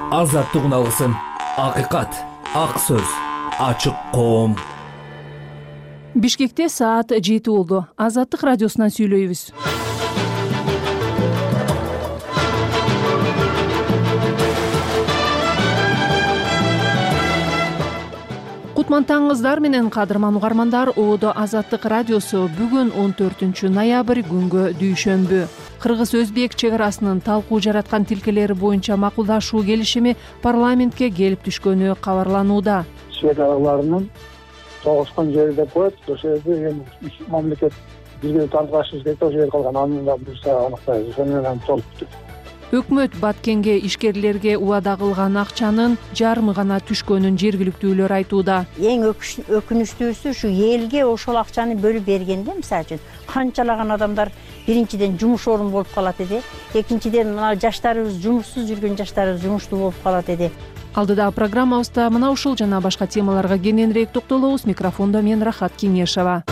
Азаттык алгысын, акыйкат, ак сөз, ачык коом. Бишкекте саат 7 болду. Азаттык радиосунан сүйлөйбүз. Кутман таңыңыздар менен кадырман угармандар. Оодо Азаттык радиосу бүгүн 14 ноябрь күнгө дүйшөмбү. Кыргыз-Өзбек чек арасынын талкуу жараткан тилкелери боюнча макулдашуу келишими парламентке келип түшкөнү кабарланууда. Чек араларынын тогушкан жери деп коет. Ошол жерде үч мамлекет бирге талкуулашыбыз керек. Ошол жер калган, аны да буюрса аныктайбыз. Ошону менен толукту. Өкмөт Баткенге ишкерлерге убада кылган акчанын жарымы гана түшкөнүн жергиликтүүлөр айтууда. Эң өкүнүчтүүсү ушу элге ошол акчаны бөлүп бергенде, мисалы үчүн канчалаган адамдар биринчиден жумуш орун болуп калат эди, экинчиден мына жаштарыбыз, жумушсуз жүргөн жаштарыбыз жумуштуу болуп калат эди. Алдыда программабызда мына ушул жана башка темаларга кененирээк токтолобуз. Микрофондо мен Рахат Кеңешова.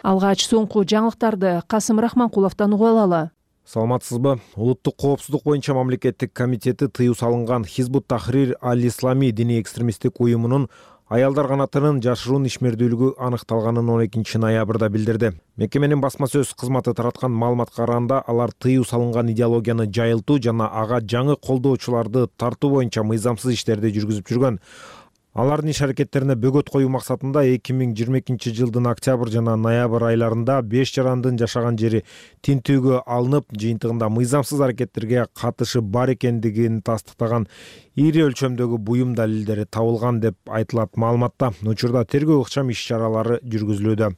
Алгач соңку жаңылыктарды Касым Рахманкуловдон угуп алалы. Саламатсызбы? Улуттук коопсуздук боюнча мамлекеттик комитети тыюу салынган Хизбут Тахрир аль-Ислами диний экстремисттик уюмунун аялдар канатынын жашыруун ишмердүүлүгү аныкталганын 12 ноябрда билдирди. Мекеменин басма сөз кызматы тараткан маалыматка караганда, алар тыюу салынган идеологияны жайылтуу жана ага жаңы колдоочуларды тартуу боюнча мыйзамсыз иштерди жүргүзүп жүргөн. Алардын иш-аракеттерине бөгөт коюу максатында 2022 жылдын октябрь жана ноябрь айларында 5 жарандын жашаган жери тинтүүгө алынып, жыйынтыгында мыйзамсыз аракеттерге катышы бар экендигин тастыктаган ири өлчөмдөгү буюм далилдери табылган деп айтылат маалыматта. Учурда тергөө ыкчам иш-чаралары жүргүзүлүүдө.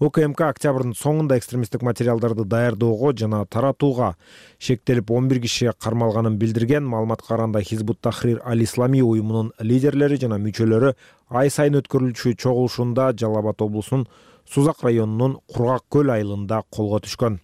УКМК октябрдын соңунда экстремисттик материалдарды даярдоого жана таратууга шектелип 11 киши кармалганын билдирген. Маалыматка караганда Хизбут Тахрир аль-Ислами уюмунун лидерлери жана мүчөлөрү ай сайын өткөрүлчү чогулушунда Жалал Абад облусунун Сузак районунун Кургак көл айылында колго түшкөн.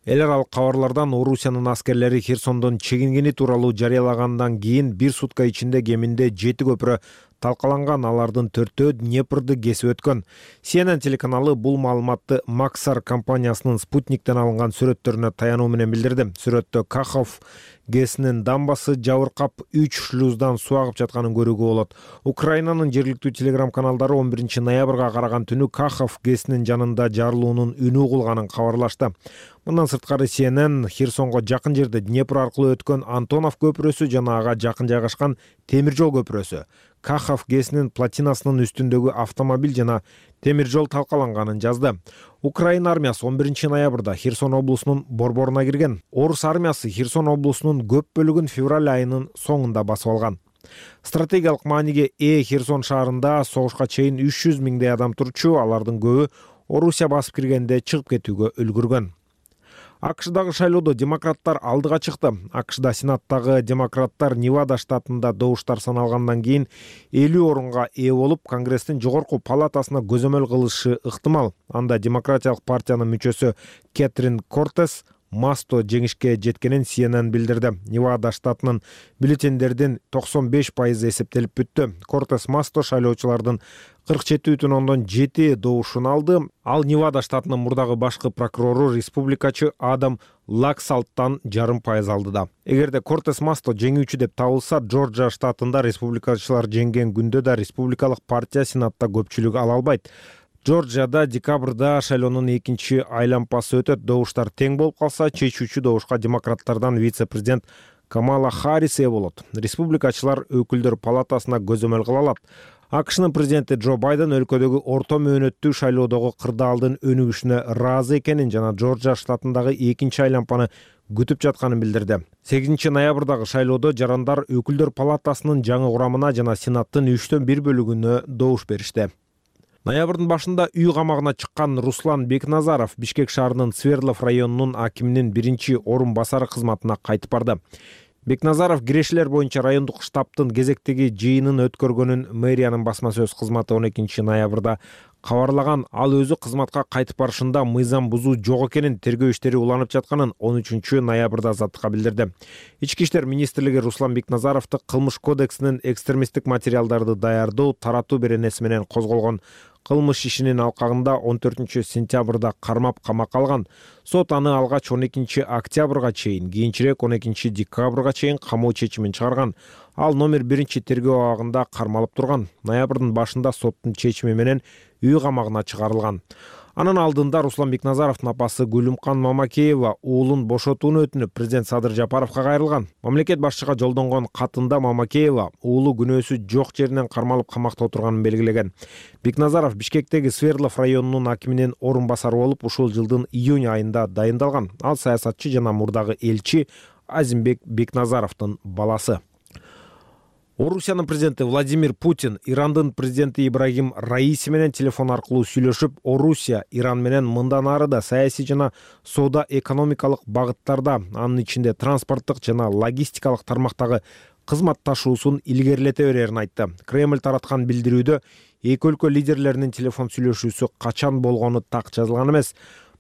Эл аралык кабарлардан Орусиянын аскерлери Херсондон чегингени тууралуу жарыялагандан кийин 1 сутка ичинде кеминде 7 көпүрө талкаланган, алардын 4-өө Днепрды кесип өткөн. CNN телеканалы бул маалыматты Максар компаниясынын спутниктен алынган сүрөттөрүнө таянуу менен билдирди. Сүрөттө Кахов ГЭСинин дамбасы жабыркап 3 шлюздан суу агып жатканын көрүүгө болот. Украинанын жергиликтүү телеграм каналдары 11 ноябрга караган түнү Кахов ГЭСинин жанында жарылуунун үнү угулганын кабарлашты. Мындан сырткары CNN Херсонго жакын жерде Днепр аркылуу өткөн Антонов көпүрөсү жана ага жакын жайгашкан темир жол көпүрөсү, Кахов ГЭСинин платинасынын үстүндөгү автомобиль жана темир жол талкаланганын жазды. Украина армиясы 11 ноябрда Херсон облусунун борборуна кирген. Орус армиясы Херсон облусунун көп бөлүгүн февраль айынын соңунда басып алган. Стратегиялык мааниге Херсон шаарында согушка чейин 300 миңдей адам турчу, алардын көбү Орусия басып киргенде чыгып кетүүгө үлгүргөн. АКШдагы шайлоодо демократтар алдыга чыкты. АКШда Сенаттагы демократтар Невада штатында добуштар саналгандан кийин 50 орунга ээ болуп, Конгресстин жогорку палатасына көзөмөл кылышы ыктымал. Анда демократиялык партиянын мүчөсү Кэтрин Кортес Масто жеңишке жеткенин CNN билдирди. Невада штатынын бюллетендердин 95% эсептелип бүттү. Кортес Масто шайлоочулардын 47,7 добушун алды. Ал Невада штатынын мурдагы башкы прокурору республикачы Адам Лаксалттан 0,5% алды да. Эгерде Кортес Масто жеңүүчү деп табылса, Джорджия штатында республикачылар жеңген күндө да республикалык партия Сенатта көпчүлүк ала албайт. Джорджияда декабрда шайлоонун экинчи айлампасы өтөт. Добуштар тең болуп калса, чечүүчү добушка демократтардан вице-президент Камала Харрис ээ болот. Республикачылар өкүлдөр палатасына көзөмөл кыла алат. АКШнын президенти Джо Байден өлкөдөгү орто мөөнөттүү шайлоодогу кырдаалдын өнүгүшүнө ыраазы экенин жана Джорджия штатындагы экинчи айлампаны күтүп жатканын билдирди. 8 ноябрдагы шайлоодо жарандар өкүлдөр палатасынын жаңы курамына жана Сенаттын 3/1 бөлүгүнө добуш беришти. Ноябрдын башында үй камагына чыккан Руслан Бекназаров Бишкек шаарынын Свердлов районунун акиминин 1-орун басары кызматына кайтып барды. Бекназаров кирешелер боюнча райондук штабтын кезектеги жыйынын өткөргөнүн мэриянын басма сөз кызматы 12 ноябрда кабарлаган. Ал өзү кызматка кайтып барышында мыйзам бузуу жок экенин, тергөө иштери уланып жатканын 13 ноябрда азаттыкка билдирди. Ички иштер министрлиги Руслан Бекназаровду кылмыш кодексинин экстремисттик материалдарды даярдоо, таратуу беренеси менен козголгон кылмыш ишинин алкагында 14-сентябрда кармап камакка алган. Сот аны алгач 12 октябрга чейин, кийинчерээк 12 декабрга чейин камоо чечимин чыгарган. Ал номер 1 тергөө абагында кармалып турган. Ноябрдын башында соттун чечими менен үй камагына чыгарылган. Анын алдында Руслан Бекназаровдун апасы Гүлүмкан Мамакеева уулун бошотууну өтүнүп президент Садыр Жапаровго кайрылган. Мамлекет башчыга жолдонгон катында Мамакеева уулу күнөөсү жок жеринен кармалып камакта отурганын белгилеген. Бекназаров Бишкектеги Свердлов районунун акиминин орун басары болуп ушул жылдын июнь айында дайындалган. Ал саясатчы жана мурдагы элчи Азимбек Бекназаровдун баласы. Орусиянын президенти Владимир Путин Ирандын президенти Ибрагим Раиси менен телефон аркылуу сүйлөшүп, Орусия Иран менен мындан ары да саясий жана соода экономикалык багыттарда, анын ичинде транспорттук жана логистикалык тармактагы кызматташуусун илгерилете берерин айтты. Кремль тараткан билдирүүдө эки өлкө лидерлеринин телефон сүйлөшүүсү качан болгону так жазылган эмес.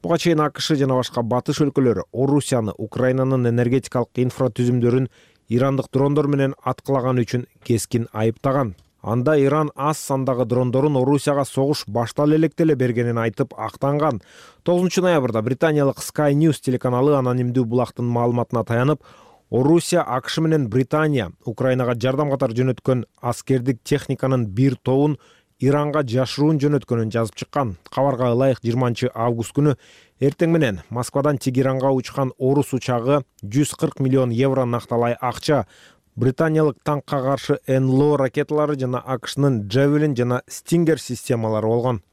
Буга чейин АКШ жана башка батыш өлкөлөрү Орусияны Украинанын энергетикалык инфратүзүмдөрүн ирандык дрондор менен аткылаганы үчүн кескин айыптаган. Анда Иран аз сандагы дрондорун Орусияга согуш баштала электе эле бергенин айтып актанган. 9 ноябрда британиялык Sky News телеканалы анонимдүү булактын маалыматына таянып, Орусия, АКШ менен Британия Украинага жардам катары жөнөткөн аскердик техниканын бир тобун Иранга жашыруун жөнөткөнүн жазып чыккан. Кабарга ылайык 20 август күнү эртең менен Москвадан Тегеранга учкан орус учагы 140 миллион евро накталай акча, британиялык танкка каршы НЛО ракеталары жана АКШнын Javelin жана Stinger системалары болгон.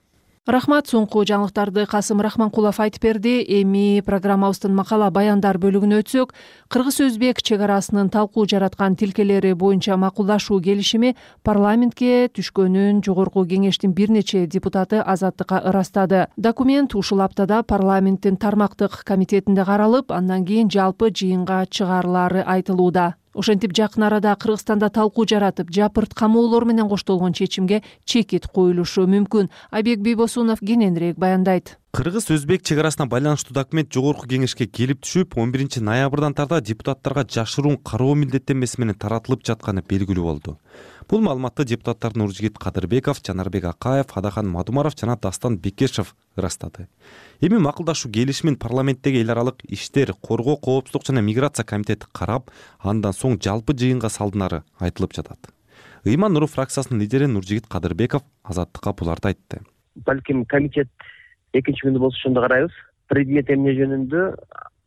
Рахмат, соңку жаңылыктарды Касым Рахманкулов айтып берди. Эми программабыздын макала баяндар бөлүгүнө өтсөк, Кыргыз-Өзбек чек арасынын талкуу жараткан тилкелери боюнча макулдашуу келишими парламентке түшкөнүн Жогорку кеңештин бир нече депутаты Азаттыкка ырастады. Документ ушул аптада парламенттин тармактык комитетинде каралып, андан кийин жалпы жыйынга чыгарылары айтылууда. Ошентип жакын арада Кыргызстанда талкуу жаратып, жапырт камоолор менен коштолгон чечимге чекит коюлушу мүмкүн. Айбек Бийбосунов кененирээк баяндайт. Кыргыз-Өзбек чек арасына байланыштуу документ Жогорку кеңешке келип түшүп, 11 ноябрдан тарта депутаттарга жашыруун кароо милдеттенмеси менен таратылып жатканы белгилүү болду. Бул маалыматты депутаттар Нуржигит Кадырбеков, Жанарбек Акаев, Адахан Мадумаров жана Дастан Бекешев ырастады. Эми макулдашуу келишимин парламенттеги эл аралык иштер, коргоо, коопсуздук жана миграция комитети карап, андан соң жалпы жыйынга салдынары айтылып жатат. Ыйман Нуров фракциясынын лидери Нуржигит Кадырбеков Азаттыкка буларды айтты. Балким комитет экинчи күндө болсо ошондо карайбыз. Предмет эмне жөнүндө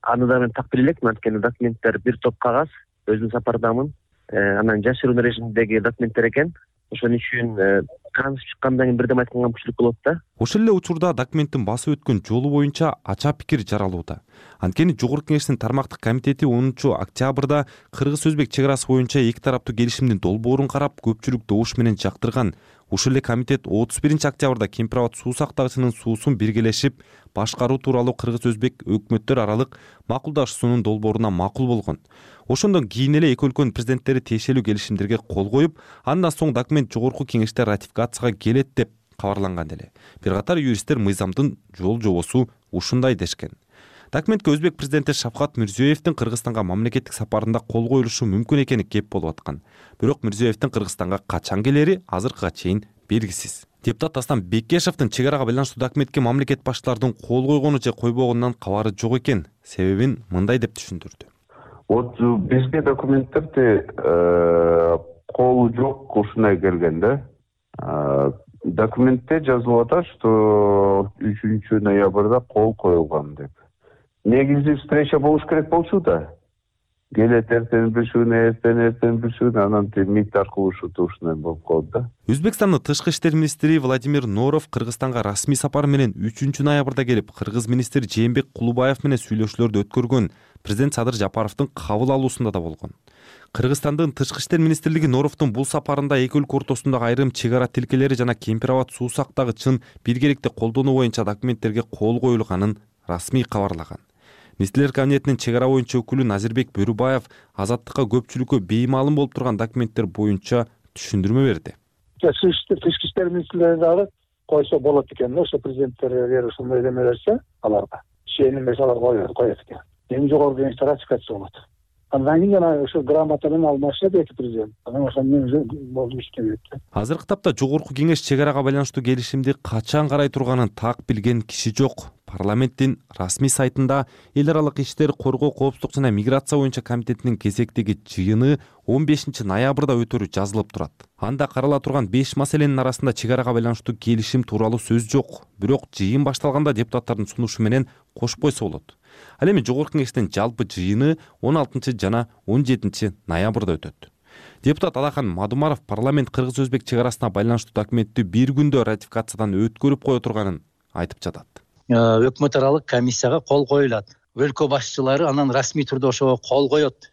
аны да мен так биле элекмин, анткени документтер бир топ кагаз, өзүм сапардамын. Анан жашыруун режимдеги документтер экен. Ошон үчүн таанышып чыккандан кийин бирдем айтканга мүмкүнчүлүк болот да. Ошол эле учурда документтин басып өткөн жолу боюнча ача пикир жаралууда. Анткени Жогорку кеңештин тармактык комитети 10 октябрда Кыргыз-Өзбек чек арасы боюнча эки тараптуу келишимдин долбоорун карап, көпчүлүк добуш менен жактырган. Ушул эле комитет 31 октябрда Кемпирабад суу сактагычынын суусун биргелешип башкаруу тууралуу Кыргыз-Өзбек өкмөттөр аралык макулдашуусунун долбооруна макул болгон. Ошондон кийин эле эки өлкөнүн президенттери тиешелүү келишимдерге кол коюп, андан соң документ Жогорку кеңеште ратификацияга келет деп кабарланган эле. Бир катар юристтер мыйзамдын жол жобосу ушундай дешкен. Документке Өзбек президенти Шавкат Мирзиёевдин Кыргызстанга мамлекеттик сапарында кол коюлушу мүмкүн экени кеп болуп аткан. Бирок Мирзиёевдин Кыргызстанга качан келери азыркыга чейин белгисиз. Депутат Дастан Бекешевдин чек арага байланыштуу документке мамлекет башчыларынын кол койгону же койбогонунан кабары жок экен. Себебин мындай деп түшүндүрдү. Вот бизге документтерди колу жок ушундай келген да. Документте жазылып атат, что 3 ноябрда кол коюлган деп. Негизи встреча болуш керек болчу да. Келет эртең бир бир анан мит аркылуу ушундай болуп калды да. Өзбекстандын тышкы иштер министри Владимир Норов Кыргызстанга расмий сапар менен 3 ноябрда келип, кыргыз министри Жээнбек Кулубаев менен сүйлөшүүлөрдү өткөргөн. Президент Садыр Жапаровдун кабыл алуусунда да болгон. Кыргызстандын тышкы иштер министрлиги Норовдун бул сапарында эки өлкө ортосундагы айрым чек ара тилкелери жана Кемпирабад суу сактагычын биргеликте колдонуу боюнча документтерге кол коюлганын расмий кабарлаган. Министрлер кабинетинин чек ара боюнча өкүлү Назирбек Бөрүбаев Азаттыкка көпчүлүккө беймаалым болуп турган документтер боюнча түшүндүрмө берди. Тышкы иштер министрлери дагы койсо болот экен, ошо президенттерге ушундай эме берсе, аларга чейин эмес алар коет экен. Эми жогорку кеңеште ратификация болот. Андан кийин жана ошо грамота менен алмашат эки президент. Анан ошону менен болду иштебейт. Азыркы тапта жогорку кеңеш чек арага байланыштуу келишимди качан карай турганын так билген киши жок. Парламенттин расмий сайтында эл аралык иштер, коргоо, коопсуздук жана миграция боюнча комитетинин кезектеги жыйыны 15 ноябрда өтөрү жазылып турат. Анда карала турган 5 маселенин арасында чек арага байланыштуу келишим тууралуу сөз жок. Бирок жыйын башталганда депутаттардын сунушу менен кошуп койсо болот. Ал эми жогорку кеңештин жалпы жыйыны 16 жана 17 ноябрда өтөт. Депутат Алахан Мадумаров парламент кыргыз-өзбек чек арасына байланыштуу документти бир күндө ратификациядан өткөрүп кое турганын айтып жатат. Өкмөт аралык комиссияга кол коюлат. Өлкө башчылары анан расмий түрдө ошого кол коет.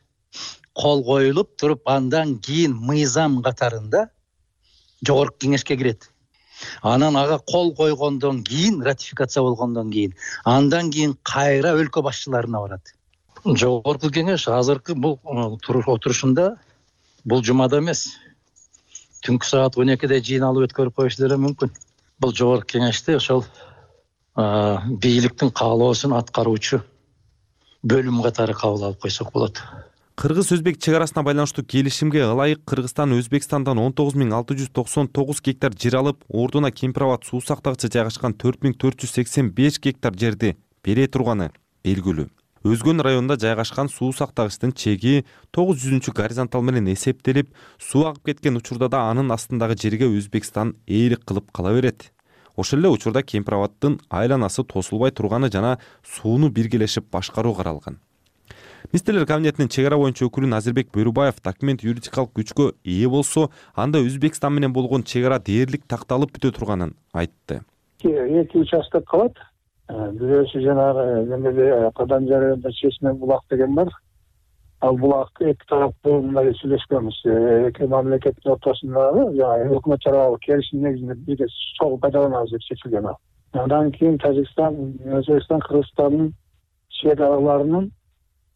Кол коюлуп туруп андан кийин мыйзам катарында жогорку кеңешке кирет. Анан ага кол койгондон кийин, ратификация болгондон кийин, андан кийин кайра өлкө башчыларына барат. Жогорку кеңеш азыркы бул отурушунда бул жумада эмес, түнкү саат 12-де жыйналып өткөрүп коюшу деле мүмкүн. Бул жогорку кеңеште ошол бийликтин каалоосун аткаруучу бөлүм катары кабыл алып койсок болот. Кыргыз-өзбек чек арасына байланыштуу келишимге ылайык Кыргызстан Өзбекстандан 19.699 гектар жер алып, ордуна Кемпирабад суу сактагычы жайгашкан 4.485 гектар жерди бере турганы белгилүү. Өзгөн районунда жайгашкан суу сактагычтын чеги 900 горизонтал менен эсептелип, суу агып кеткен учурда да анын астындагы жерге Өзбекстан ээлик кылып кала берет. Ошол эле учурда Кемпирабаддын айланасы тосулбай турганы жана сууну биргелешип башкаруу каралган. Министрлер кабинетинин чек ара боюнча өкүлү Назирбек Бөрүбаев документ юридикалык күчкө ээ болсо, анда Өзбекстан менен болгон чек ара дээрлик такталып бүтө турганын айтты. Эки участок калат. Бирөөсү жанагы эмеде Кадан жарыгында Чечме булак деген бар. Ал булак эки тараптуу мындай сүйлөшкөнбүз. Эки мамлекеттин ортосундагы өкмөт аралык келишим негизинде бирге суу пайдаланабыз деп чечилген ал. Андан кийин Тажикстан, Өзбекстан, Кыргызстандын чек араларынын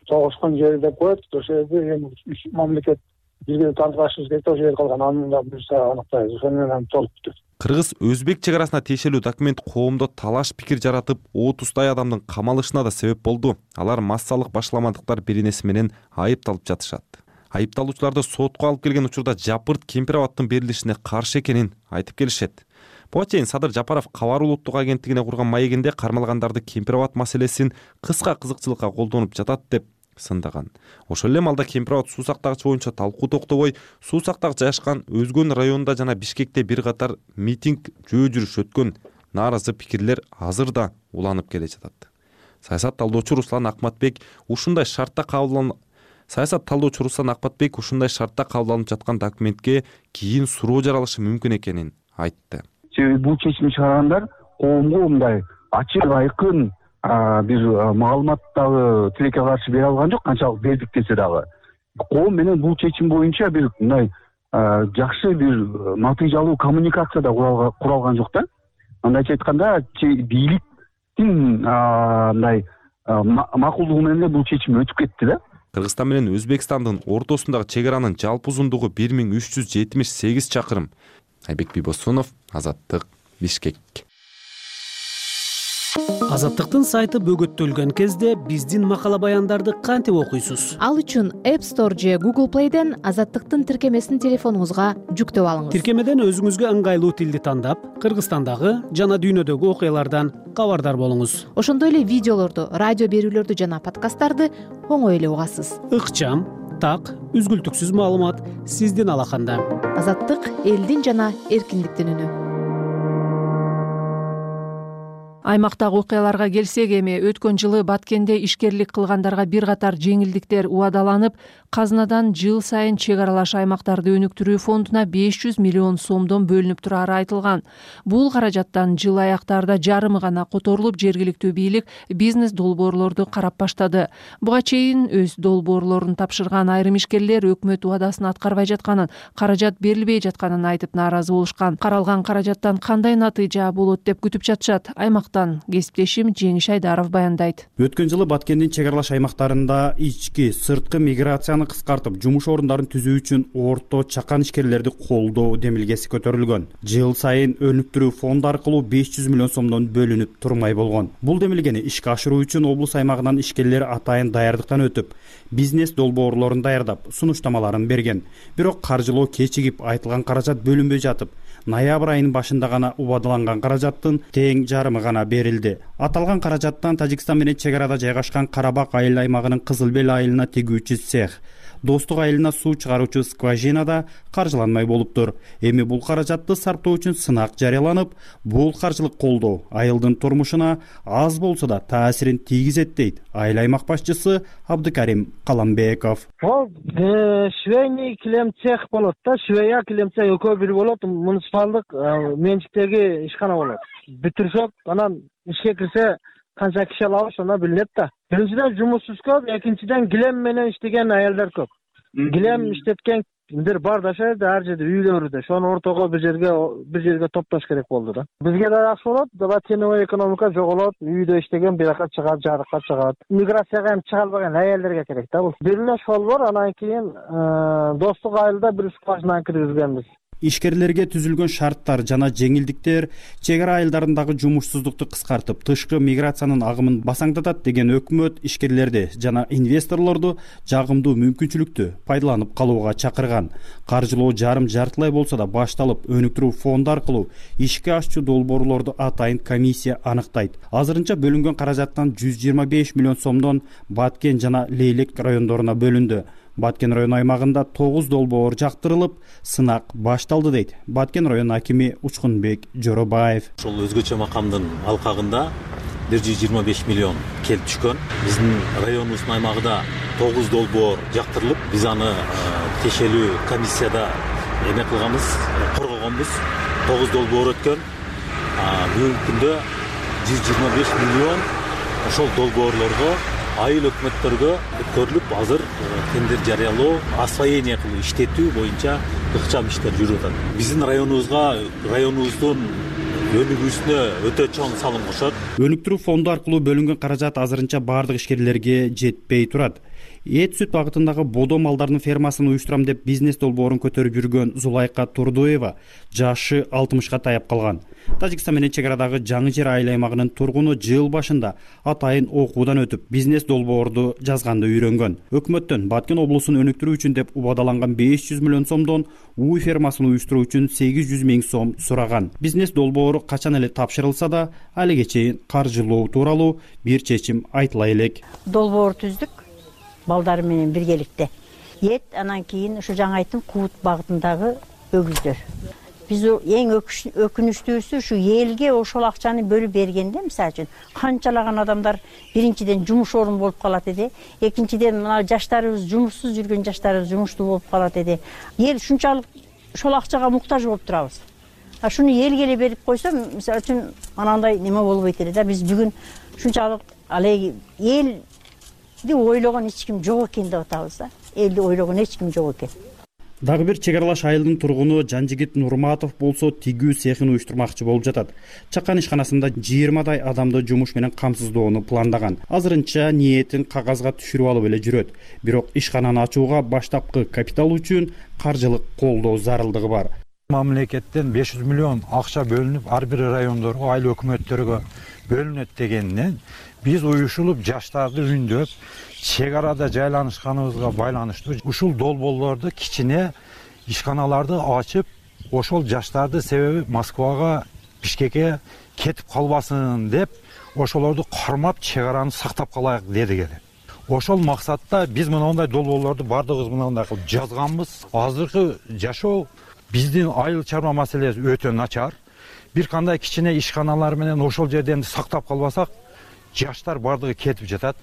тогушкан жери деп коет. Ошол жерде эми үч мамлекет бирге тартылышыбыз керек, ошол жер калган. Аны да буюрса аныктайбыз. Ошол менен толуп бүтөт. Кыргыз-өзбек чек арасына тиешелүү документ коомдо талаш пикир жаратып, 30 адамдын камалышына да себеп болду. Алар массалык башламадыктар беренеси менен айыпталып жатышат. Айыпталуучуларды сотко алып келген учурда Жапырт Кемпирабаддын берилишине каршы экенин айтып келишет. Буга чейин Садыр Жапаров Кабар улуттук агенттигине курган маегинде кармалгандарды Кемпирабад маселесин кыска кызыкчылыкка колдонуп жатат деп сындаган. Ошол эле малда Кемпирабад суу сактагычы боюнча талкуу токтобой, суу сактагыч жайгашкан Өзгөн районунда жана Бишкекте бир катар митинг жөө жүрүш өткөн. Нааразы пикирлер азыр да уланып келе жатат. Саясат талдоочу Руслан Акматбек ушундай шартта кабыл алынып жаткан документке кийин суроо жаралышы мүмкүн экенин айтты. Бул чечимди чыгаргандар коомго мындай ачык айкын бир маалымат дагы тилекке каршы бере алган жок, канчалык бердик десе дагы. Коом менен бул чечим боюнча бир мындай жакшы бир натыйжалуу коммуникация да куралган жок да. Андайча айтканда, бийликтин мындай макулдугу менен эле бул чечим өтүп кетти да. Кыргызстан менен Өзбекстандын ортосундагы чек аранын жалпы узундугу 1378 чакырым. Айбек Бибосунов, Азаттык, Бишкек. Азаттыктын сайты бөгөттөлгөн кезде биздин макала баяндарды кантип окуйсуз? Ал үчүн App Store же Google Play'ден Азаттыктын тиркемесин телефонуңузга жүктөп алыңыз. Тиркемеден өзүңүзгө ыңгайлуу тилди тандап, Кыргызстандагы жана дүйнөдөгү окуялардан кабардар болуңуз. Ошондой эле видеолорду, радио берүүлөрдү жана подкасттарды оңой эле угасыз. Ыкчам, так, үзгүлтүксүз маалымат сиздин алаканда. Азаттык элдин жана эркиндиктин үнү. Аймактагы окуяларга келсек, эми өткөн жылы Баткенде ишкерлик кылгандарга бир катар жеңилдиктер убадаланып, казынадан жыл сайын чек аралаш аймактарды өнүктүрүү фондуна 500 миллион сомдон бөлүнүп турары айтылган. Бул каражаттан жыл аяктарда жарымы гана которулуп, жергиликтүү бийлик бизнес долбоорлорду карап баштады. Буга чейин өз долбоорлорун тапшырган айрым ишкерлер өкмөт убадасын аткарбай жатканын, каражат берилбей жатканын айтып нааразы болушкан. Каралган каражаттан кандай натыйжа болот деп күтүп жатышат. Аймактын аймактан. Кесиптешим Жеңиш Айдаров баяндайт. Өткөн жылы Баткендин чек аралаш аймактарында ички, сырткы миграцияны кыскартып, жумуш орундарын түзүү үчүн орто чакан ишкерлерди колдоо демилгеси көтөрүлгөн. Жыл сайын өнүктүрүү фонду аркылуу 500 миллион сомдон бөлүнүп турмай болгон. Бул демилгени ишке ашыруу үчүн облус аймагынан ишкерлер атайын даярдыктан өтүп, бизнес долбоорлорун даярдап, сунуштамаларын берген. Бирок каржылоо кечигип, айтылган каражат бөлүнбөй жатып, ноябрь айынын башында гана убадаланган каражаттын тең жарымы гана берилди. Аталган каражаттан Тажикстан менен чек арада жайгашкан Карабак айыл аймагынын Кызыл Бел айылына тегүүчү цех, Достук айылына суу чыгаруучу скважинада каржыланмай болуптур. Эми бул каражатты сарптоо үчүн сынак жарыяланып, бул каржылык колдоо айылдын турмушуна аз болсо да таасирин тийгизет дейт айыл аймак башчысы Абдыкарим Каламбеков. Швейный килем цех болот да, швея килем цех экөө бир болот, муниципалдык менчиктеги ишкана болот. Бүтүрсөк, анан ишке кирсе канча киши алабыз ошондо билинет да. Биринчиден жумушсуз көп, экинчиден килем менен иштеген айылдар көп. Килем иштеткендер бар да, ар жерде үйлөрүдө. Ошону ортого бир жерге топтош керек болду да. Бизге да жакшы болот, дабы теневой экономика жоголот, үйдө иштеген бияка чыгат, жарыкка чыгат. Миграцияга эми чыга албаган айылдарга керек да бул. Бир эле ошол бар, анан кийин Достук айылда бир скважина киргизгенбиз. Ишкерлерге түзүлгөн шарттар жана жеңилдиктер чек ара айылдарындагы жумушсуздукту кыскартып, тышкы миграциянын агымын басаңдатат деген өкмөт ишкерлерди жана инвесторлорду жагымдуу мүмкүнчүлүктү пайдаланып калууга чакырган. Каржылоо жарым-жартылай болсо да башталып, өнүктүрүү фонду аркылуу ишке ашчу долбоорлорду атайын комиссия аныктайт. Азырынча бөлүнгөн каражаттан 125 миллион сомдон Баткен жана Лейлек райондоруна бөлүндү. Баткен район аймагында 9 долбоор жактырылып, сынак башталды дейт Баткен район акими Учкунбек Жоробаев. Ошол өзгөчө макамдын алкагында 125 миллион келип түшкөн. Биздин районубуздун аймагында 9 долбоор жактырылып, биз аны тиешелүү комиссияда эме кылганбыз, коргогонбуз. 9 долбоор өткөн. Бүгүнкү күндө 125 миллион ошол долбоорлорго айыл өкмөттөргө өткөрүлүп, азыр тендер жарыялоо, освоение кылуу, иштетүү боюнча ыкчам иштер жүрүп атат. Биздин районубуздун өнүгүүсүнө өтө чоң салым кошот. Өнүктүрүү фонду аркылуу бөлүнгөн каражат азырынча бардык ишкерлерге жетпей турат. Эт сүт багытындагы бодо малдардын фермасын уюштурам деп бизнес долбоорун көтөрүп жүргөн Зулайка Турдуева жашы 60-ка таяп калган. Тажикстан менен чек арадагы Жаңы Жер айыл аймагынын тургуну жыл башында атайын окуудан өтүп, бизнес долбоорду жазганды үйрөнгөн. Өкмөттөн Баткен облусун өнүктүрүү үчүн деп убадаланган 500 миллион сомдон уй фермасын уюштуруу үчүн 800 миң сом сураган. Бизнес долбоору качан эле тапшырылса да, алиге чейин каржылоо тууралуу бир чечим айтыла элек. Долбоор түздүк балдар менен биргеликте. Эт, анан кийин ушу жаңы айттым, Куут багытындагы өгүздөр. Биз эң өкүнүчтүүсү ушу элге ошол акчаны бөлүп бергенде, мисалы үчүн, канчалаган адамдар биринчиден жумуш орун болуп калат эди, экинчиден мына жаштарыбыз, жумушсуз жүргөн жаштарыбыз жумуштуу болуп калат эди. Эл ушунчалык ошол акчага муктаж болуп турабыз. Шуну элге эле берип койсо, мисалы үчүн, анандай неме болбойт эле да. Биз бүгүн ушунчалык алеги элди ойлогон эч ким жок экен деп атабыз да. Элди ойлогон эч ким жок экен. Дагы бир чек аралаш айылдын тургуну Жанжигит Нурматов болсо тигүү цехин уюштурмакчы болуп жатат. Чакан ишканасында 20дай адамды жумуш менен камсыздоону пландаган. Азырынча ниетин кагазга түшүрүп алып эле жүрөт. Бирок ишкананы ачууга баштапкы капитал үчүн каржылык колдоо зарылдыгы бар. Мамлекеттен 500 миллион акча бөлүнүп, ар бир райондорго, айыл өкмөттөргө бөлүнөт дегенден биз уюшулуп жаштарды үндөп, чек арада жайланышканыбызга байланыштуу ушул долбоорлорду кичине ишканаларды ачып, ошол жаштарды себеби Москвага, Бишкекке кетип калбасын деп, ошолорду кармап чек араны сактап калайык дедик эле. Ошол максатта биз мындай долбоорлорду бардыгыбыз мындай кылып жазганбыз. Азыркы жашоо биздин айыл чарба маселеси өтө начар. Бир кандай кичине ишканалар менен ошол жерден сактап калбасак, жаштар бардыгы кетип жатат.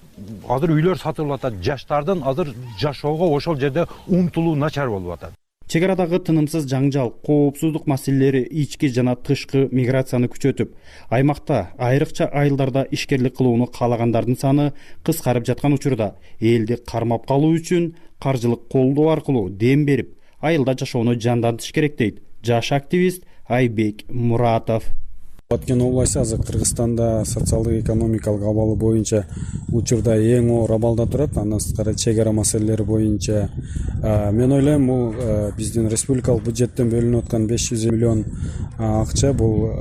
Азыр үйлөр сатылып атат. Жаштардын азыр жашоого ошол жерде умтулуу начар болуп атат. Чек арадагы тынымсыз жаңжал, коопсуздук маселелери ички жана тышкы миграцияны күчөтүп, аймакта айрыкча айылдарда ишкерлик кылууну каалагандардын саны кыскарып жаткан учурда элди кармап калуу үчүн каржылык колдоо аркылуу дем берип, айылда жашоону жандантыш керек дейт жаш активист Айбек Муратов. Баткен областы азыр Кыргызстанда социалдык экономикалык абалы боюнча учурда эң оор абалда турат. Андан сырткары чек ара маселелери боюнча мен ойлойм, бул биздин республикалык бюджеттен бөлүнүп аткан 500 миллион акча бул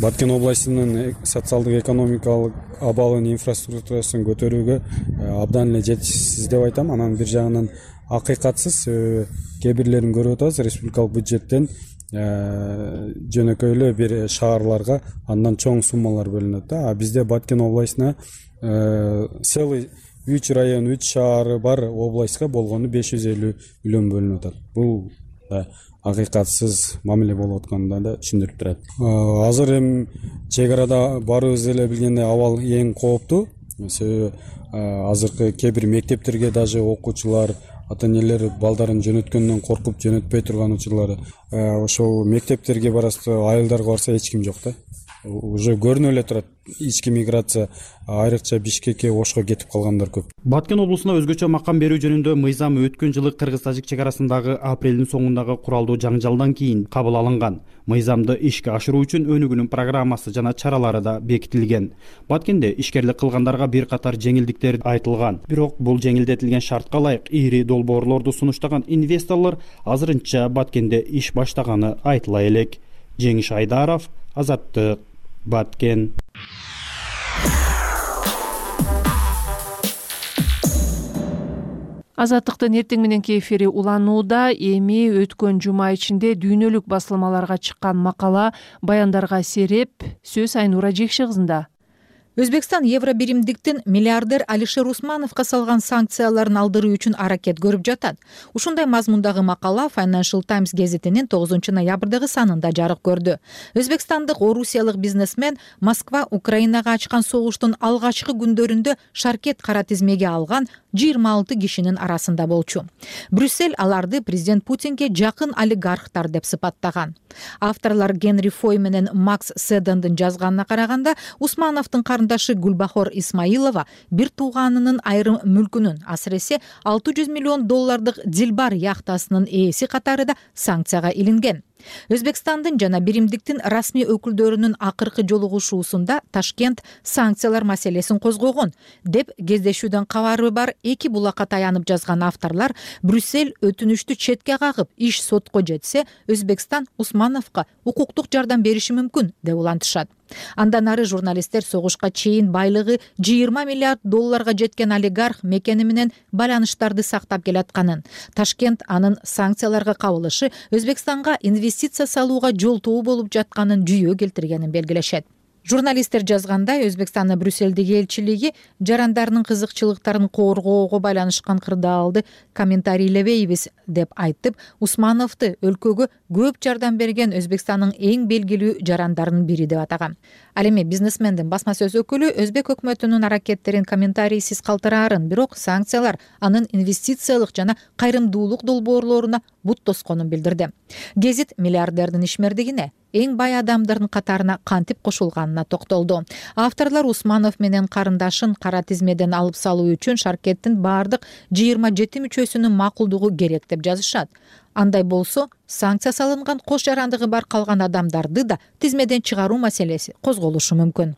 Баткен областынын социалдык экономикалык абалын, инфраструктурасын көтөрүүгө абдан эле жетишсиз деп айтам. Анан бир жагынан акыйкатсыз кээ бирлерин көрүп атабыз, республикалык бюджеттен жөнөкөй эле бир шаарларга андан чоң суммалар бөлүнөт да. А бизде Баткен областына целый 3 район, 3 шаары бар областка болгону 550 миллион бөлүнүп атат. Бул акыйкатсыз мамиле болуп атканын да түшүндүрүп турат. Азыр эми чек арада баарыбыз эле билгендей абал эң кооптуу. Себеби азыркы кээ бир мектептерге даже окуучулар, ата-энелер балдарын жөнөткөндөн коркуп жөнөтпөй турган учурлары. Ошол мектептерге барасы, айылдарга барса эч ким жок да. Уже көрүнүп эле турат. Ички миграция, айрыкча Бишкекке, Ошко кетип калгандар көп. Баткен облусуна өзгөчө макам берүү жөнүндө мыйзам өткөн жылы кыргыз-тажик чек арасындагы апрелдин соңундагы куралдуу жаңжалдан кийин кабыл алынган. Мыйзамды ишке ашыруу үчүн өнүгүүнүн программасы жана чаралары да бекитилген. Баткенде ишкерлик кылгандарга бир катар жеңилдиктер айтылган. Бирок бул жеңилдетилген шартка ылайык ири долбоорлорду сунуштаган инвесторлор азырынча Баткенде иш баштаганы айтыла элек. Жеңиш Айдаров, Азаттык, Баткен. Азаттыктын эртең мененки эфири уланууда. Эми өткөн жума ичинде дүйнөлүк басылмаларга чыккан макала, баяндарга сереп сөз Айнура Жекши кызында. Өзбекстан евробиримдиктин миллиардер Алишер Усмановго салган санкцияларын алдыруу үчүн аракет көрүп жатат. Ушундай мазмундагы макала Financial Times гезитинин 9 ноябрдагы санында жарык көрдү. Өзбекстандык орусиялык бизнесмен Москва Украинага ачкан согуштун алгачкы күндөрүндө шаркет кара тизмеге алган 26 кишинин арасында болчу. Брюссель аларды президент Путинге жакын олигархтар деп сыпаттаган. Авторлор Генри Фой менен Макс Седандын жазганына караганда, Усмановдун карындашы Гүлбахор Исмаилова бир тууганынын айрым мүлкүнүн, асыресе $600 миллион Дилбар яхтасынын ээси катарында санкцияга илинген. Өзбекстандын жана биримдиктин расмий өкүлдөрүнүн акыркы жолугушуусунда Ташкент санкциялар маселесин козгогон деп кездешүүдөн кабары бар эки булакка таянып жазган авторлор Брюссель өтүнүштү четке кагып, иш сотко жетсе, Өзбекстан Усмановго укуктук жардам бериши мүмкүн деп улантышат. Андан ары журналисттер согушка чейин байлыгы $20 миллиард жеткен олигарх мекени менен байланыштарды сактап келатканын, Ташкент анын санкцияларга кабылышы Өзбекстанга инвестиция салууга жолтоо болуп жатканын жүйө келтиргенин белгилешет. Журналисттер жазгандай, Өзбекстандын Брюссельдеги элчилиги жарандарынын кызыкчылыктарын коргоого байланышкан кырдаалды комментарийлебейбиз деп айтып, Усмановду өлкөгө көп жардам берген Өзбекстандын эң белгилүү жарандарынын бири деп атаган. Ал эми бизнесмендин басма сөз өкүлү Өзбек өкмөтүнүн аракеттерин комментарийсиз калтыраарын, бирок санкциялар анын инвестициялык жана кайрымдуулук долбоорлоруна бут тосконун билдирди. Гезит миллиардердин ишмердигине, эң бай адамдардын катарына кантип кошулганына токтолду. Авторлор Усманов менен карындашын кара тизмеден алып салуу үчүн шаркеттин бардык 27 мүчөсүнүн макулдугу керек деп жазышат. Андай болсо, санкция салынган кош жарандыгы бар калган адамдарды да тизмеден чыгаруу маселеси козголушу мүмкүн.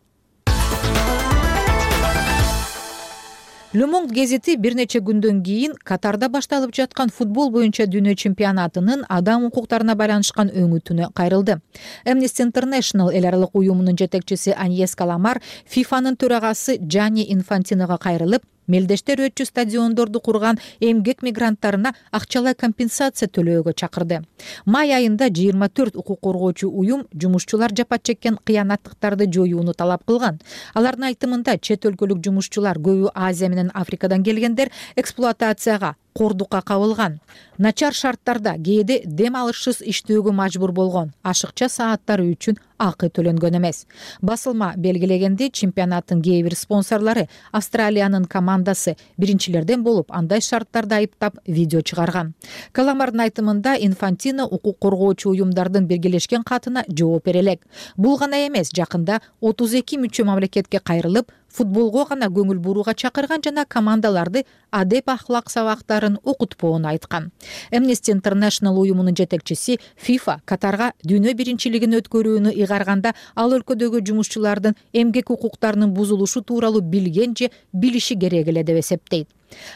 Le Monde гезити бир нече күндөн кийин Катарда башталып жаткан футбол боюнча дүйнө чемпионатынын адам укуктарына байланышкан өңүтүнө кайрылды. Amnesty International эл аралык уюмунун жетекчиси Аньес Каламар ФИФАнын төрагасы Джанни Инфантиного кайрылып, мелдештер өтчү стадиондорду курган эмгек мигранттарына акчалай компенсация төлөөгө чакырды. Май айында 24 укук коргоочу уюм жумушчулар жапа чеккен кыянаттыктарды жоюуну талап кылган. Алардын айтымында чет өлкөлүк жумушчулар, көбү Азия менен Африкадан келгендер, эксплуатацияга, кордукка кабылган. Начар шарттарда кээде дем алышсыз иштөөгө мажбур болгон, ашыкча сааттары үчүн акы төлөнгөн эмес. Басылма белгилегендей, чемпионаттын кээ бир спонсорлору Австралиянын командасы биринчилерден болуп, андай шарттарды айыптап видео чыгарган. Каламардын айтымында Инфантино укук коргоочу уюмдардын биргелешкен катына жооп бере элек. Бул гана эмес, жакында 32 мүчө мамлекетке кайрылып, футболго гана көңүл бурууга чакырган жана командаларды адеп ахлак сабактарын окутпоону айткан. Amnesty International уюмунун жетекчиси FIFA Катарга дүйнө биринчилигин өткөрүүнү ыйгарганда ал өлкөдөгү жумушчулардын эмгек укуктарынын бузулушу тууралуу билген же билиши керек эле деп эсептейт.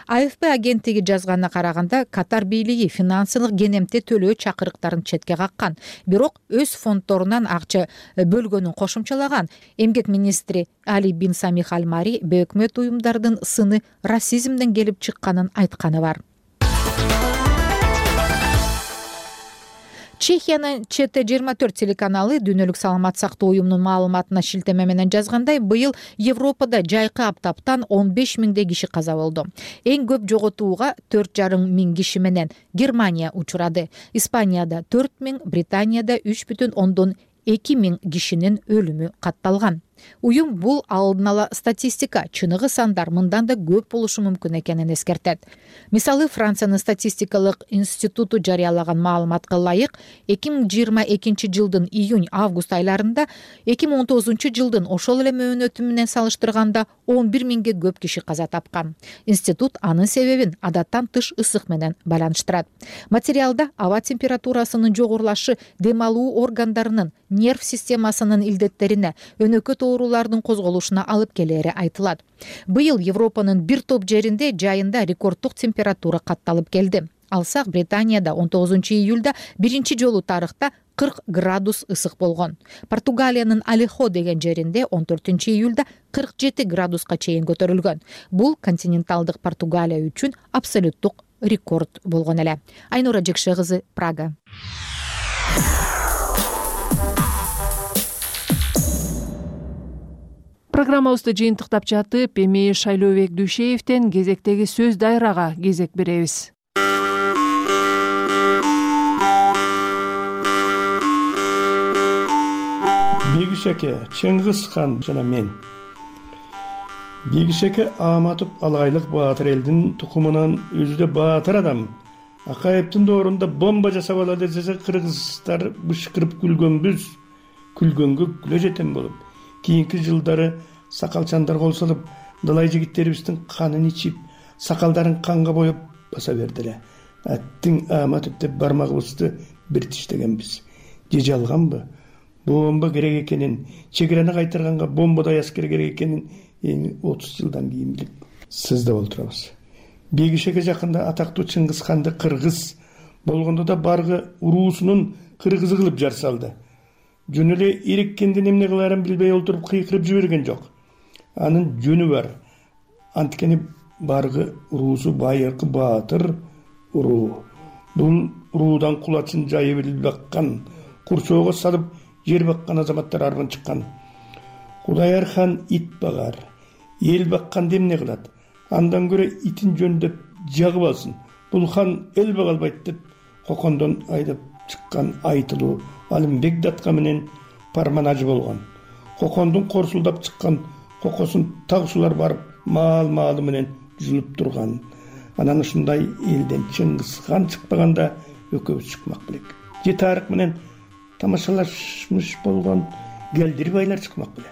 AFP агенттиги жазганына караганда Катар бийлиги финансылык кенемте төлөө чакырыктарын четке каккан, бирок өз фонддорунан акча бөлгөнүн кошумчалаган. Эмгек министри Али бин Самих Аль Мари бейөкмөт уюмдардын сыны расизмден келип чыкканын айтканы бар. Чехиянын ЧТ24 телеканалы дүйнөлүк саламат сактоо уюмунун маалыматына шилтеме менен жазгандай, быйыл Европада жайкы аптаптан 15 миңдей киши каза болду. Эң көп жоготууга 4,5 миң киши менен Германия учурады. Испанияда 4 миң, Британияда 3,2 миң кишинин өлүмү катталган. Уюм бул алдын ала статистика, чыныгы сандар мындан да көп болушу мүмкүн экенин эскертет. Мисалы, Франциянын статистикалык институту жарыялаган маалыматка ылайык, 2022 жылдын июнь-август айларында 2019 жылдын ошол эле мөөнөтү менен салыштырганда 11 миңге көп киши каза тапкан. Институт анын себебин адаттан тыш ысык менен байланыштырат. Материалда аба температурасынын жогорулашы дем алуу органдарынын, нерв системасынын илдеттерине, өнөкөт оорулардын козголушуна алып келери айтылат. Быйыл Европанын бир топ жеринде жайында рекорддук температура катталып келди. Алсак, Британияда 19 июлда биринчи жолу тарыхта 40 градус ысык болгон. Португалиянын Алехо деген жеринде 14 июлда 47 градуска чейин көтөрүлгөн. Бул континенталдык Португалия үчүн абсолюттук рекорд болгон эле. Айнура Жекше кызы, Прага. Программабызды жыйынтыктап жатып, эми Шайлообек Дүйшеевден кезектеги сөз дайрага кезек беребиз. Бегишеке, Чыңгыз хан жана мен. Бегишеке Аматов Алайлык баатыр элдин тукумунан өзү да баатыр адам. Акаевдин доорунда бомба жасап алады десе, кыргыздар бышкырып күлгөнбүз. Күлгөнгө күлө жетем болуп. Кийинки жылдары сакалчандар кол салып, далай жигиттерибиздин канын ичип, сакалдарын канга боеп баса бердиле. Аттың Аматов деп бармагыбызды бир тиштегенбиз. Же жалганбы? Бомба керек экенин, чегерени кайтарганга бомбадай аскер керек экенин эми 30 жылдан кийин билип сыздап отурабыз. Бегишеге жакында атактуу Чыңгыз ханды кыргыз болгондо да баргы уруусунун кыргызы кылып жар салды. Жөн эле иреккенден эмне кыларын билбей олтуруп кыйкырып жиберген жок. Анын жөнү бар. Анткени баргы уруусу байыркы баатыр уруу. Бул уруудан кулачын жайып эл баккан, курчоого салып жер баккан азаматтар арбын чыккан. Кудаяр хан ит багар, эл бакканды эмне кылат? Андан көрө итин жөндөп жагып алсын. Бул хан эл бага албайт деп Кокондон айдап чыккан айтылуу Алымбек датка менен парманажы болгон. Кокондун корсулдап чыккан кокосун тагшулар барып маал-маалы менен жулуп турган. Анан ушундай элден Чыңгыз хан чыкпаганда өкөбүз чыкмак белек. Же тарых менен тамашалашмыш болгон келдир байлар чыкмак беле.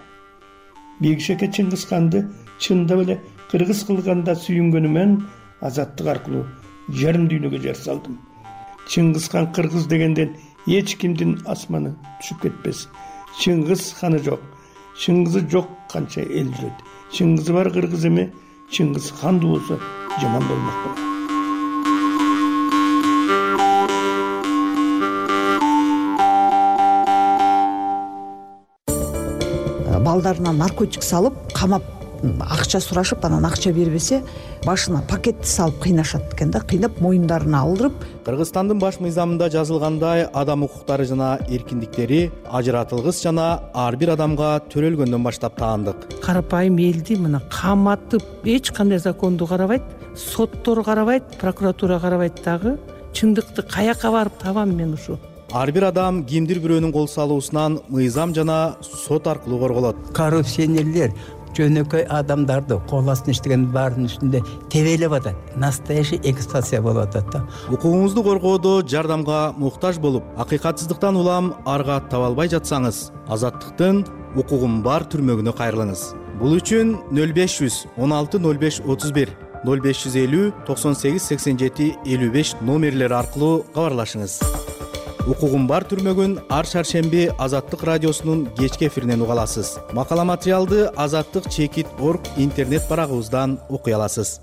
Бегишеке Чыңгыз ханды чындап эле кыргыз кылганда сүйүнгөнүмөн азаттык аркылуу жарым дүйнөгө жар салдым. Чыңгыз хан кыргыз дегенден эч кимдин асманы түшүп кетпес. Чыңгыз ханы жок, Чыңгызы жок канча эл жүрөт. Чыңгызы бар кыргыз эме, Чыңгыз хандуу болсо жаман болмок беле. Балдарына наркотик салып, камап акча сурашып, анан акча бербесе, башына пакетти салып кыйнашат экен да, кыйнап моюндарына алдырып. Кыргызстандын баш мыйзамында жазылгандай, адам укуктары жана эркиндиктери ажыратылгыс жана ар бир адамга төрөлгөндөн баштап таандык. Карапайым элди мына каматып, эч кандай законду карабайт, соттор карабайт, прокуратура карабайт дагы. Чындыкты каяка барып табам мен ушу? Ар бир адам кимдир бирөөнүн кол салуусунан мыйзам жана сот аркылуу корголот. Коррупционерлер жөнөкөй адамдарды кол астына иштеген баардын үстүндө тебелеп атат. Настоящий эксплуатация болуп атат да. Укугуңузду коргоодо жардамга муктаж болуп, акыйкатсыздыктан улам арга таба албай жатсаңыз, азаттыктын укугум бар түрмөгүнө кайрылыңыз. Бул үчүн 0500 16 05 31 0550 98 87 55 номерлери аркылуу кабарлашыңыз. Укугум бар түрмөгүн ар шаршемби Азаттык радиосунун кечки эфиринен уга аласыз. Макала материалды azаттык.org интернет барагыбыздан окуй аласыз.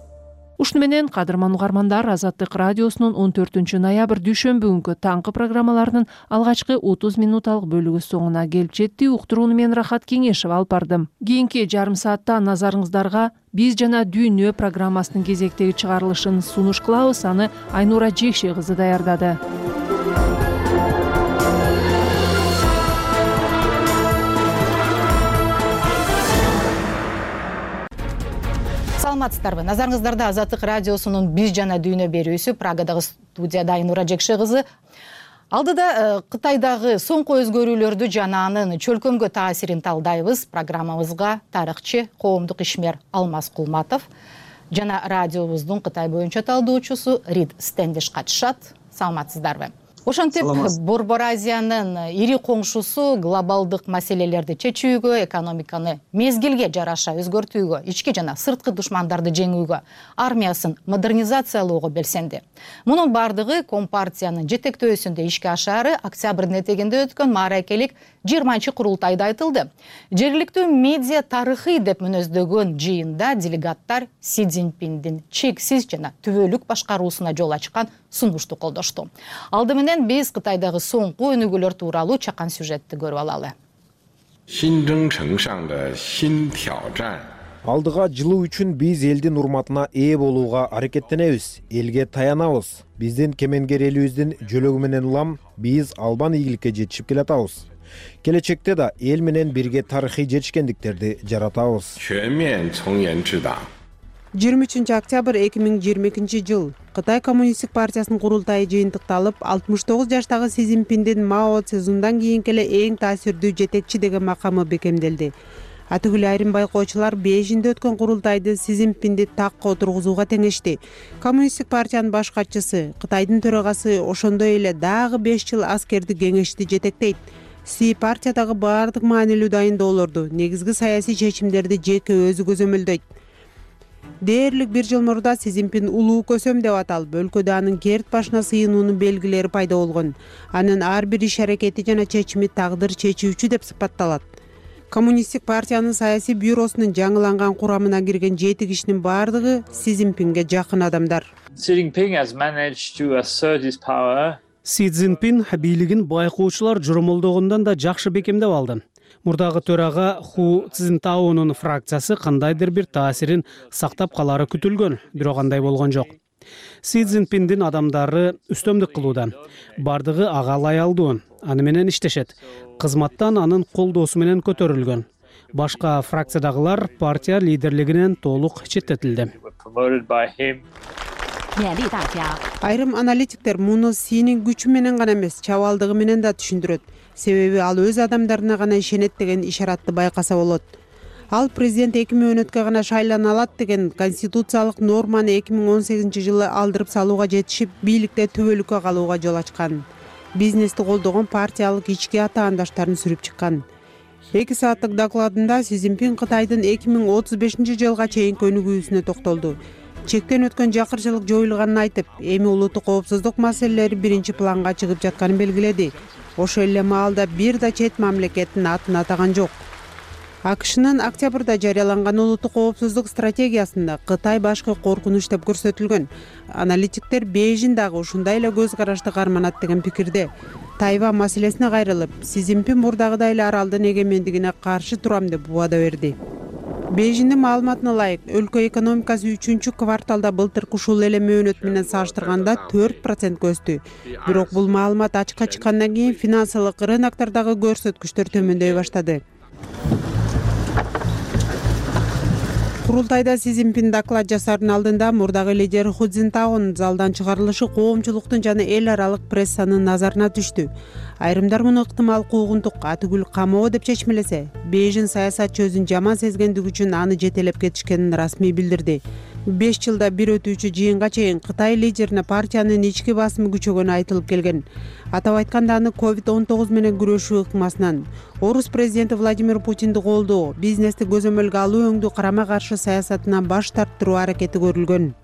Ушуну менен кадырман угармандар, Азаттык радиосунун 14 ноябрь дүйшөмбү күнкү таңкы программаларынын алгачкы 30 минуталык бөлүгү соңуна келип жетти. Уктурууну мен Рахат Кеңешева алып бардым. Кийинки жарым саатта назарыңыздарга Биз жана дүйнө программасынын кезектеги чыгарылышын сунуш кылабыз. Аны Айнура Жекше кызы даярдады. Саламатсыздарбы? Назарыңыздарда Азаттык радиосунун Биз жана дүйнө берүүсү. Прагадагы студияда Айнура Жекше кызы. Алдыда Кытайдагы соңку өзгөрүүлөрдү жана анын чөлкөмгө таасирин талдайбыз. Программабызга тарыхчы, коомдук ишмер Алмаз Кулматов жана радиобуздун Кытай боюнча талдоочусу Рид Стендиш катышат. Саламатсыздарбы? Ошентип Борбор Азиянын ири коңшусу глобалдык маселелерди чечүүгө, экономиканы мезгилге жараша өзгөртүүгө, ички жана сырткы душмандарды жеңүүгө, армиясын модернизациялоого белсенди. Мунун бардыгы Компартиянын жетектөөсүндө ишке ашаары октябрдын этегинде өткөн мааракелик 20-чы курултайда айтылды. Жергиликтүү медиа тарыхый деп мүнөздөгөн жыйында делегаттар Си Цзиньпиндин чексиз жана түбөлүк башкаруусуна жол ачкан сунушту колдошту. Алды менен биз Кытайдагы соңку өнүгүүлөр тууралуу чакан сюжетти көрүп алалы. Алдыга жылуу үчүн биз элдин урматына ээ болууга аракеттенебиз, элге таянабыз. Биздин кемеңгер элибиздин жөлөгү менен улам биз албан ийгиликке жетишип келатабыз. Келечекте да эл менен бирге тарыхый жетишкендиктерди жаратабыз. 23 октябрь 2022 жыл Кытай Коммунисттик партиясынын курултайы жыйынтыкталып, 69 жаштагы Си Цзиньпиндин Мао Цзедундан кийинки эле эң таасирдүү жетекчи деген макамы бекемделди. Атүгүл айрым байкоочулар Бейжиңде өткөн курултайды Си Цзиньпинди такка отургузууга теңешти. Коммунисттик партиянын баш катчысы, Кытайдын төрагасы ошондой эле дагы 5 жыл аскерди кеңешти жетектейт. Си партиядагы баардык маанилүү дайындоолорду, негизги саясий чечимдерди жеке өзү көзөмөлдөйт. Дээрлик 1 жыл мурда Си Цзиньпин улуу көсөм деп аталып, өлкөдө анын керт башына сыйынуунун белгилери пайда болгон. Анын ар бир иш аракети жана чечими тагдыр чечүүчү деп сыпатталат. Коммунисттик партиянын саясий бюросунун жаңыланган курамына кирген 7 кишинин баардыгы Си Цзиньпинге жакын адамдар. Си Цзиньпин бийлигин байкоочулар жормолдогондон да жакшы бекемдеп алды. Мурдагы төрага Ху Цзинтаонун фракциясы кандайдыр бир таасирин сактап калары күтүлгөн, бирок андай болгон жок. Си Цзиньпиндин адамдары үстөмдүк кылууда. Бардыгы ага лаялдуу, аны менен иштешет. Кызматтан анын колдоосу менен көтөрүлгөн. Башка фракциядагылар партия лидерлигинен толук четтетилди. Айрым аналитиктер муну Синин күчү менен гана эмес, чабалдыгы менен да түшүндүрөт. Себеби ал өз адамдарына гана ишенет деген ишаратты байкаса болот. Ал президент 2 мөөнөткө гана шайлана алат деген конституциялык норманы 2018 жылы алдырып салууга жетишип, бийликте түбөлүккө калууга жол ачкан. Бизнести колдогон партиялык ички атаандаштарын сүрүп чыккан. 2 сааттык докладында Си Цзиньпин Кытайдын 2035 жылга чейинки өнүгүүсүнө токтолду. Чектен өткөн жакырчылык жоюлганын айтып, эми улуттук коопсуздук маселелери биринчи планга чыгып жатканын белгиледи. Ошол эле маалда бир да чет мамлекеттин атын атаган жок. АКШнын октябрда жарыяланган улуттук коопсуздук стратегиясында Кытай башкы коркунуч деп көрсөтүлгөн. Аналитиктер Бейжиң дагы ушундай эле көз карашты карманат деген пикирде. Тайвань маселесине кайрылып, Си Цзиньпин мурдагыдай эле аралдын эгемендигине каршы турам деп убада берди. Бейжиңдин маалыматына ылайык, өлкө экономикасы 3 кварталда былтыркы ушул эле мөөнөт менен салыштырганда 4% өстү. Бирок бул маалымат ачыкка чыккандан кийин финансылык рыноктардагы көрсөткүчтөр төмөндөй баштады. Курултайда Си Цзиньпин доклад жасаардын алдында мурдагы лидер Ху Цзинтаонун залдан чыгарылышы коомчулуктун жана эл аралык прессанын назарына түштү. Айрымдар муну ыктымал куугунтук, атүгүл камоо деп чечмелесе, Бейжиң саясатчы өзүн жаман сезгендиги үчүн аны жетелеп кетишкенин расмий билдирди. 5 жылда бир өтүүчү жыйынга чейин Кытай лидерине партиянын ички басымы күчөгөнү айтылып келген. Атап айтканда аны COVID-19 менен күрөшүү ыкмасынан, орус президенти Владимир Путинди колдоо, бизнести көзөмөлгө алуу өңдүү карама каршы саясатынан баш тарттыруу аракети көрүлгөн.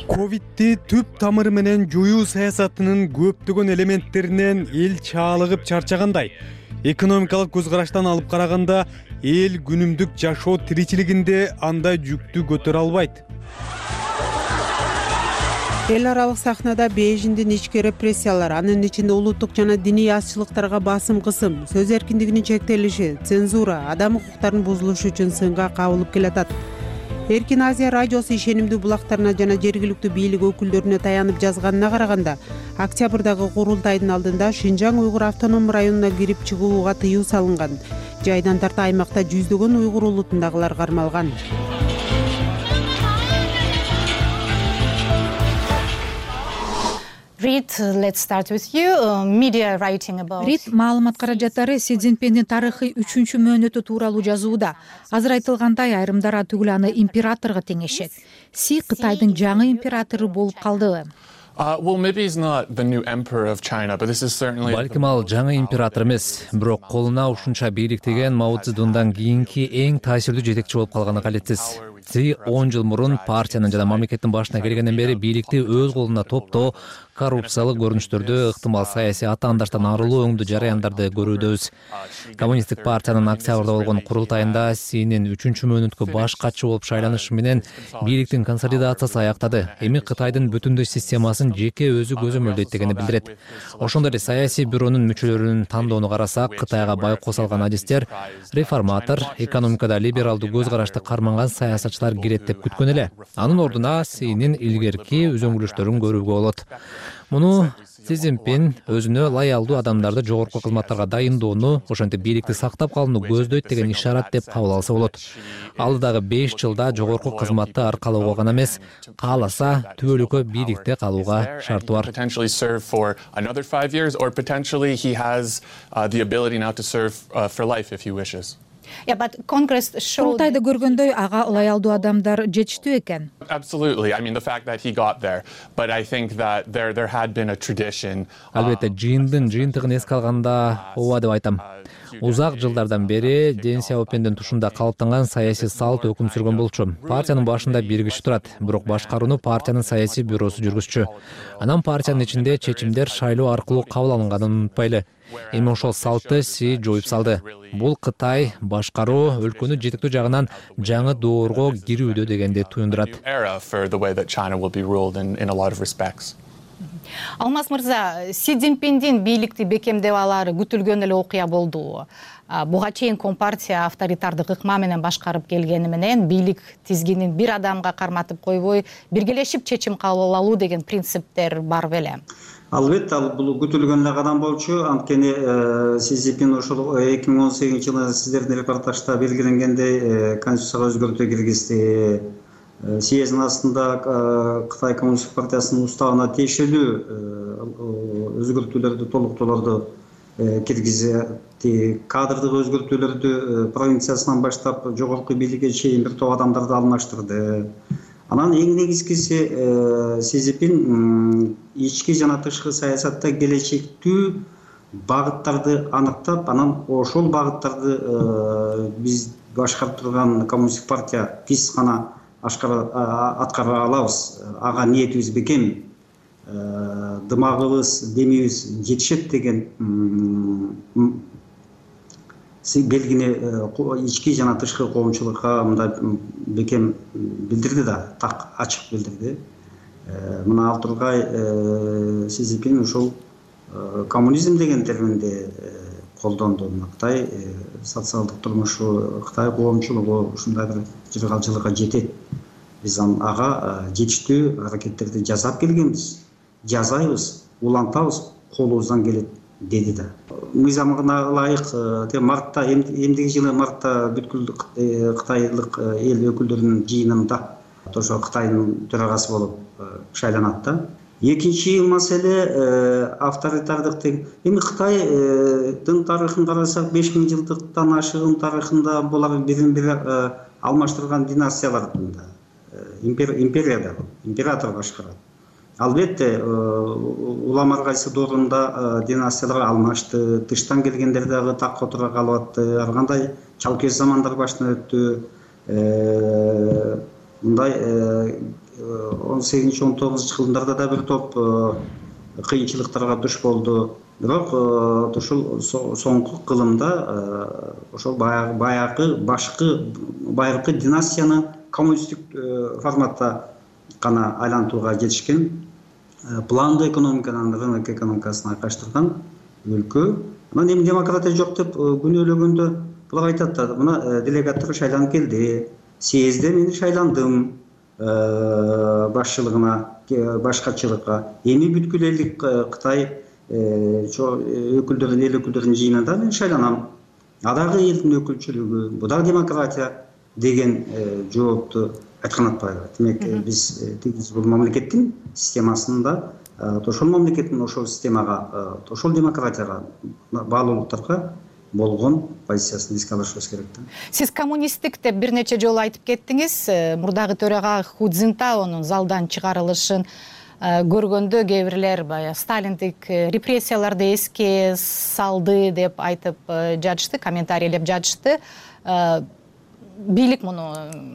ковидти түп тамыры менен жоюу саясатынын көптөгөн элементтеринен эл чаалыгып чарчагандай. Экономикалык көз караштан алып караганда эл күнүмдүк жашоо тиричилигинде андай жүктү көтөрө албайт. Эл аралык сахнада Бейжиңдин ички репрессиялар, анын ичинде улуттук жана диний азчылыктарга басым кысым, сөз эркиндигинин чектелиши, цензура, адам укуктарынын бузулушу үчүн сынга кабылып келатат. Эркин Азия радиосу ишенимдүү булактарына жана жергиликтүү бийлик өкүлдөрүнө таянып жазганына караганда, октябрдагы курултайдын алдында Шинжаң уйгур автоном районуна кирип чыгууга тыюу салынган. Жайдан тарта аймакта жүздөгөн уйгур улутундагылар кармалган. Reid, let's start with you. Media writing about. Reid маалымат каражаттары Си Цзиньпиндин тарыхый 3-чү мөөнөтү тууралуу жазууда. Азыр айтылгандай, айрымдар атүгүл аны императорго теңешет. Си Кытайдын жаңы императору болуп калдыбы? Балким ал жаңы император эмес, бирок колуна ушунча бийлик теген Мао Цзэдундан кийинки эң таасирдүү жетекчи болуп калганы калетсиз. Си 10 жыл мурун партиянын жана мамлекеттин башына келгенден бери бийликти өз колуна топтоо, коррупциялык көрүнүштөрдү, ыктымал саясий атаандаштан арылуу өңдүү жараяндарды көрүүдөбүз. Коммунисттик партиянын октябрда болгон курултайында Синин 3-чү мөөнөткө баш катчы болуп шайланышы менен бийликтин консолидациясы аяктады. Эми Кытайдын бүтүндөй системасын жеке өзү көзөмөлдөйт дегени билдирет. Ошондой эле саясий бюронун мүчөлөрүнүн тандоону карасак, Кытайга байкоо салган адистер реформатор, экономикада либералдуу көз карашты карманган саясатчылар кирет деп күткөн эле. Анын ордуна Синин илгерки үзөңгүлүштөрүн көрүүгө болот. Муну Си Цзиньпин өзүнө лоялдуу адамдарды жогорку кызматтарга дайындоону, ошентип бийликти сактап калууну көздөйт деген ишарат деп кабыл алса болот. Алдыдагы 5 жылда жогорку кызматты аркалоого гана эмес, кааласа түбөлүккө бийликте калууга шарты бар. Курултайда көргөндөй ага лоялдуу адамдар жетиштүү экен. Албетте, жыйындын жыйынтыгын эске алганда ооба деп айтам. Узак жылдардан бери Дэн Сяопиндин тушунда калыптанган саясий салт өкүм сүргөн болчу. Партиянын башында бир киши турат, бирок башкарууну партиянын саясий бюросу жүргүзчү. Анан партиянын ичинде чечимдер шайлоо аркылуу кабыл алынганын унутпайлы. Эми ошол салтты Си жоюп салды. Бул Кытай башкаруу өлкөнү жетектөө жагынан жаңы доорго кирүүдө дегенди туюндурат. Алмаз мырза, Си Цзиньпиндин бийликти бекемдеп алары күтүлгөн эле окуя болду. Буга чейин Компартия авторитардык ыкма менен башкарып келгени менен бийлик тизгинин бир адамга карматып койбой, биргелешип чечим кабыл алуу деген принциптер бар беле? Албетте, ал бул күтүлгөн эле кадам болчу. Анткени Си Цзиньпин ошол 2018-жылы сиздердин репортажда белгиленгендей конституцияга өзгөртүү киргизди. Съездин астында Кытай коммунисттик партиясынын уставына тиешелүү өзгөртүүлөрдү, толуктоолорду киргизди. Кадрдык өзгөртүүлөрдү провинциясынан баштап жогорку бийликке чейин бир топ адамдарды алмаштырды. Анан эң негизгиси Си Цзиньпин ички жана тышкы саясатта келечектүү багыттарды аныктап, анан ошол багыттарды биз башкарып турган коммунисттик партия биз гана аткара алабыз. Ага ниетибиз бекем, дымагыбыз, демибиз жетишет деген белгини ички жана тышкы коомчулукка мындай бекем билдирди да, так ачык билдирди. Мына ал тургай Си Цзиньпин ушул коммунизм деген терминди колдонду. Кытай социалдык турмушу, Кытай коомчулугу ушундай бир жыргалчылыкка жетет. Биз ага жетиштүү аракеттерди жасап келгенбиз, жасайбыз, улантабыз, колубуздан келет деди да. Мыйзамына ылайык мартта, эмдиги жылы мартта бүткүл кытайлык эл өкүлдөрүнүн жыйынында ошо Кытайдын төрагасы болуп шайланат да. Экинчи маселе авторитардык. Эми Кытайдын тарыхын карасак, 5000 жылдыктан ашыгын тарыхында булар бирин бири алмаштырган династиялар империяда император башкарат. Албетте улам ар кайсы доорунда династиялар алмашты, тыштан келгендер дагы такка отура калып атты, ар кандай чалкеш замандар башынан өттү. Мындай 18-19 жылдарда да бир топ кыйынчылыктарга душ болду. Бирок ушул соңку кылымда ошол байыркы династияны коммунисттик форматта гана айлантууга жетишкен. Пландуу экономиканын рынок экономикасына айкаштырган өлкө. Анан эми демократия жок деп күнөөлөгөндө булар айтат да, мына делегаттар шайланып келди, съездде мен шайландым башчылыгына, башкачылыкка. Эми бүткүл элдик Кытай өкүлдөрүнүн, эл өкүлдөрүнүн жыйынында мен шайланам. Адагы элдин өкүлчүлүгү, бу да демократия деген жоопту айткан атпайбы. Демек биз бул мамлекеттин системасында ошол мамлекеттин ошол системага, ошол демократияга, баалуулуктарга болгон позициясын эске алышыбыз керек да. Сиз коммунисттик деп бир нече жолу айтып кеттиңиз. Мурдагы төрага Ху Цзинтаонун залдан чыгарылышын көргөндө кээ бирлер баягы сталиндик репрессияларды эске салды деп айтып жатышты, комментарийлеп жатышты. Бийлик муну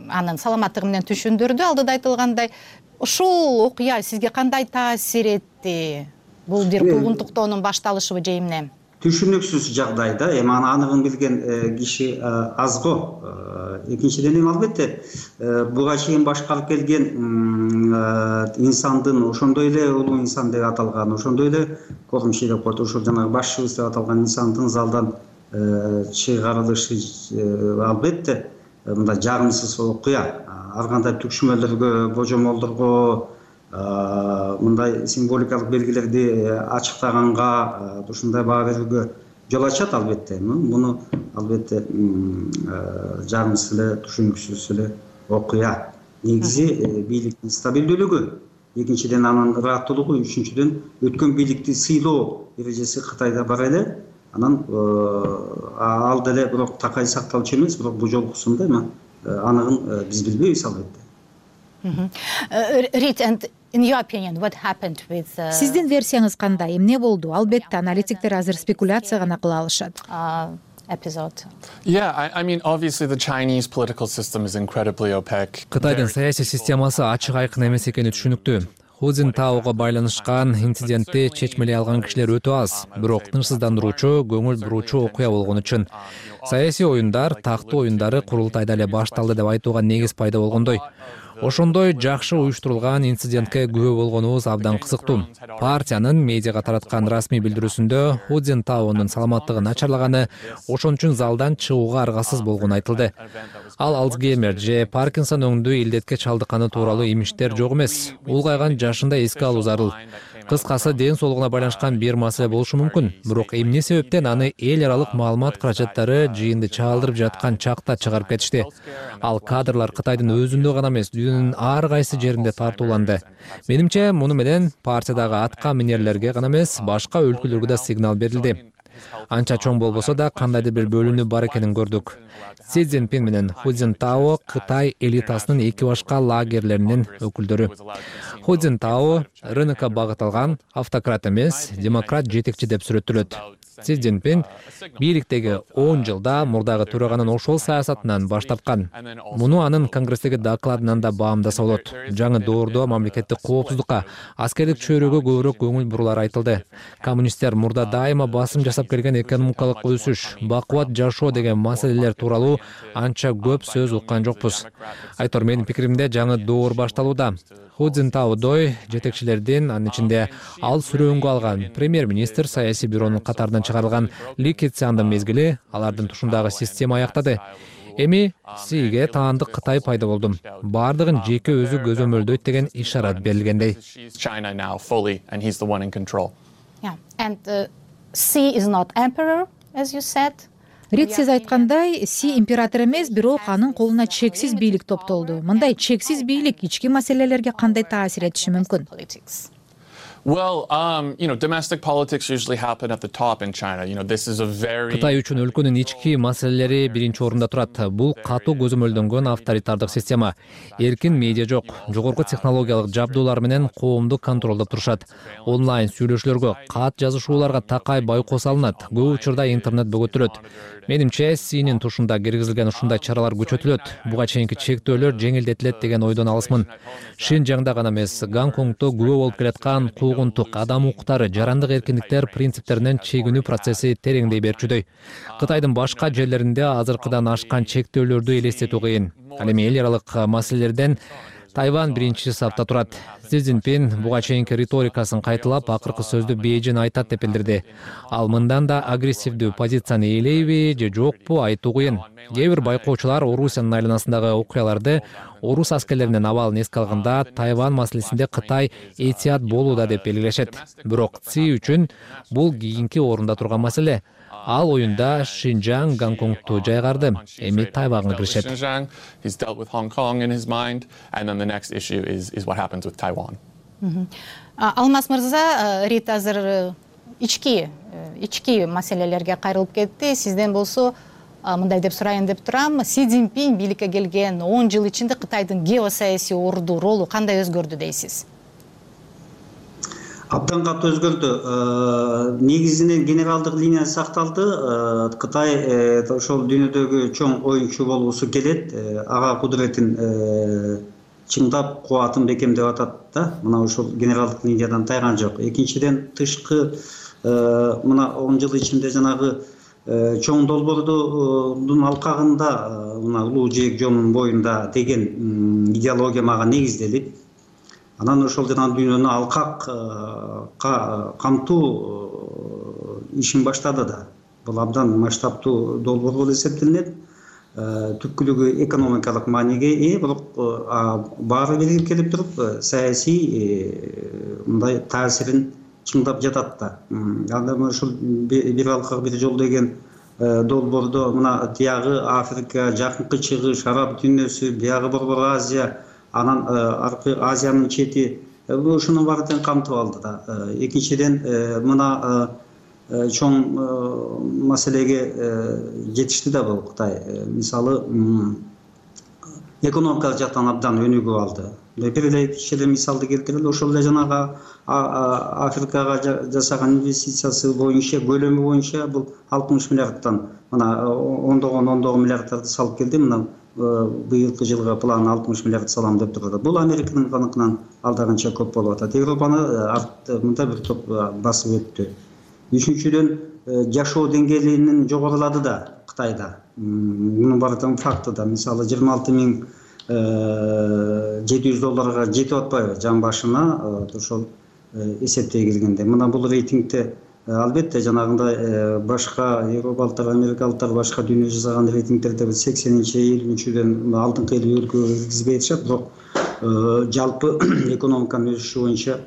анын саламаттыгы менен түшүндүрдү. Алдыда айтылгандай, ушул окуя сизге кандай таасир этти? Бул бир куугунтуктоонун башталышыбы же эмне? Түшүнүксүз жагдай да. Эми аны аныгын билген киши аз го. Экинчиден эми албетте буга чейин башкарып келген инсандын, ошондой эле улуу инсан деп аталган, ошондой эле кормчий деп коет, ошол жанагы башчыбыз деп аталган инсандын залдан чыгарылышы албетте мындай жагымсыз окуя. Ар кандай түкшүмөлөргө, божомолдорго, мындай символикалык белгилерди ачыктаганга, ушундай баа берүүгө жол ачат албетте. Муну албетте жагымсыз эле, түшүнүксүз эле окуя. Негизи бийликтин стабилдүүлүгү, экинчиден анын ырааттуулугу, үчүнчүдөн өткөн бийликти сыйлоо эрежеси Кытайда бар эле. Анан ал деле бирок такай сакталчу эмес, бирок бул жолкусунда аныгын биз билбейбиз албетте. Сиздин версияңыз кандай? Эмне болду? Албетте аналитиктер азыр спекуляция гана кыла алышат. Кытайдын саясий системасы ачык айкын эмес экени түшүнүктүү. Ху Цзинтаого байланышкан инцидентти чечмелей алган кишилер өтө аз, бирок тынчсыздандыруучу, көңүл буруучу окуя болгону үчүн саясий оюндар, тактуу оюндары курултайда эле башталды деп айтууга негиз пайда болгондой. Ошондой жакшы уюштурулган инцидентке күбө болгонубуз абдан кызыктуу. Партиянын медиага тараткан расмий билдирүүсүндө Ху Цзинтаонун саламаттыгы начарлаганы, ошон үчүн залдан чыгууга аргасыз болгону айтылды. Ал Альцгеймер же Паркинсон өңдүү илдетке чалдыкканы тууралуу имиштер жок эмес. Улгайган жашында эске алуу зарыл. Кыскасы ден соолугуна байланышкан бир маселе болушу мүмкүн. Бирок эмне себептен аны эл аралык маалымат каражаттары жыйынды чаалдырып жаткан чакта чыгарып кетишти? Ал кадрлар Кытайдын өзүндө гана эмес, дүйнөнүн ар кайсы жеринде тартууланды. Менимче, муну менен партиядагы атка минерлерге гана эмес, башка өлкөлөргө да сигнал берилди. Анча чоң болбосо да кандайдыр бир бөлүнүү бар экенин көрдүк. Си Цзиньпин менен Ху Цзинтао Кытай элитасынын эки башка лагерлеринин өкүлдөрү. Ху Цзинтао рынокко багыт алган автократ эмес, демократ жетекчи деп сүрөттөлөт. Си Цзиньпин бийликтеги 10 жылда мурдагы төраганын ошол саясатынан баш тарткан. Муну анын конгресстеги докладынан да баамдаса болот. Жаңы доордо мамлекеттик коопсуздукка, аскердик чөйрөгө көбүрөөк көңүл бурулар айтылды. Коммунисттер мурда дайыма басым жасап келген экономикалык өсүш, бакубат жашоо деген маселелер тууралуу анча көп сөз уккан жокпуз. Айтор, менин пикиримде жаңы доор башталууда. Ху Цзинтаодой жетекчилердин, анын ичинде ал сүрөөнгө алган премьер-министр саясий бюронун катарынан чыгарылган Ли Кэцяндын мезгили алардын тушундагы система аяктады. Эми Сиге таандык Кытай пайда болду. Бардыгын жеке өзү көзөмөлдөйт деген ишарат берилгендей. Рид, сиз айткандай, Си император эмес, бирок анын колуна чексиз бийлик топтолду. Мындай чексиз бийлик ички маселелерге кандай таасир этиши мүмкүн? Well, domestic politics usually happen at the top in China. This is a very Кытай үчүн өлкөнүн ички маселелери биринчи орунда турат. Бул катуу көзөмөлдөнгөн авторитардык система. Эркин медиа жок, жогорку технологиялык жабдуулар менен коомду контролдоп турушат. Онлайн сүйлөшүүлөргө, кат жазышууларга такай байкоо салынат. Көп учурда интернет бөгөтүлөт. Менимче, Синин тушунда киргизилген ушундай чаралар күчөтүлөт. Буга чейинки чектөөлөр жеңилдетилет деген ойдон алысмын. Шинжаңда гана эмес, Гонконгдо күбө болуп келаткан куугунтук, адам укуктары, жарандык эркиндиктер принциптеринен чегинүү процесси тереңдей берчүдөй. Кытайдын башка жерлеринде азыркыдан ашкан чектөөлөрдү элестетүү кыйын. Ал эми эл аралык маселелерден Тайвань биринчи сапта турат. Си Цзиньпин буга чейинки риторикасын кайталап, акыркы сөздү Бейжин айтат деп билдирди. Ал мындан да агрессивдүү позицияны ээлейби же жокпу айтуу кыйын. Кээ бир байкоочулар Орусиянын айланасындагы окуяларды орус аскерлеринин абалын эске алганда Тайвань маселесинде Кытай этият болууда деп белгилешет. Бирок Си үчүн бул кийинки орунда турган маселе. Ал оюнда Шинжаң, Гонконгду жайгарды, эми Тайваньга киришет. He's dealt with Hong Kong in his mind, and then the next issue is what happens with Taiwan. Алмаз мырза, Рит азыр ички маселелерге кайрылып кетти. Сизден болсо мындай деп сурайын деп турам. Си Цзиньпин бийликке келген 10 жыл ичинде Кытайдын геосаясий орду, ролу кандай өзгөрдү дейсиз? Абдан катуу өзгөрдү. Негизинен генералдык линия сакталды. Кытай ошол дүйнөдөгү чоң оюнчу болуусу келет. Ага кудуретин чыңдап, кубатын бекемдеп атат да. Мына ошол генералдык линиядан тайган жок. Экинчиден, тышкы мына 10 жыл ичинде жанагы чоң долбоордун алкагында, мына улуу жээк жолунун боюнда деген идеология мага негизделип, анан ошол жана дүйнөнү алкак камтуу ишин баштады да. Бул абдан масштабтуу долбоор болуп эсептелинет. Түпкүлүгү экономикалык мааниге ээ, бирок баары биригип келип туруп, саясий мындай таасирин чыңдап жатат да. Анда ошол бир алкак бир жол деген долбоордо мына тиягы Африка, Жакынкы Чыгыш, Араб дүйнөсү, биягы Борбор Азия, анан аркы Азиянын чети, ушунун баарын камтып алды да. Экинчиден, мына чоң маселеге жетишти да бул Кытай. Мисалы, экономикалык жактан абдан өнүгүп алды. Бир эле кичине мисалды келтирели, ошол эле жанагы Африкага жасаган инвестициясы боюнча, көлөмү боюнча бул 60 миллиардтан мына ондогон миллиардтарды салып келди. Мына быйылкы жылга план 60 миллиард салам деп турат. Бул Американын каныкынан алдаганча көп болуп атат. Европаны мындай бир топ басып өттү. Үчүнчүдөн, жашоо деңгээлинин жогорулады да Кытайда. Мунун баары факты да. Мисалы 26.700 долларга жетип атпайбы жан башына, ошол эсептей келгенде. Мына бул рейтингде албетте жанагындай башка европалыктар, америкалыктар башка дүйнө жасаган рейтингдерде 80-50-ден алдыңкы 50 өлкөгө киргизбей атышат, бирок жалпы экономиканын өсүшү боюнча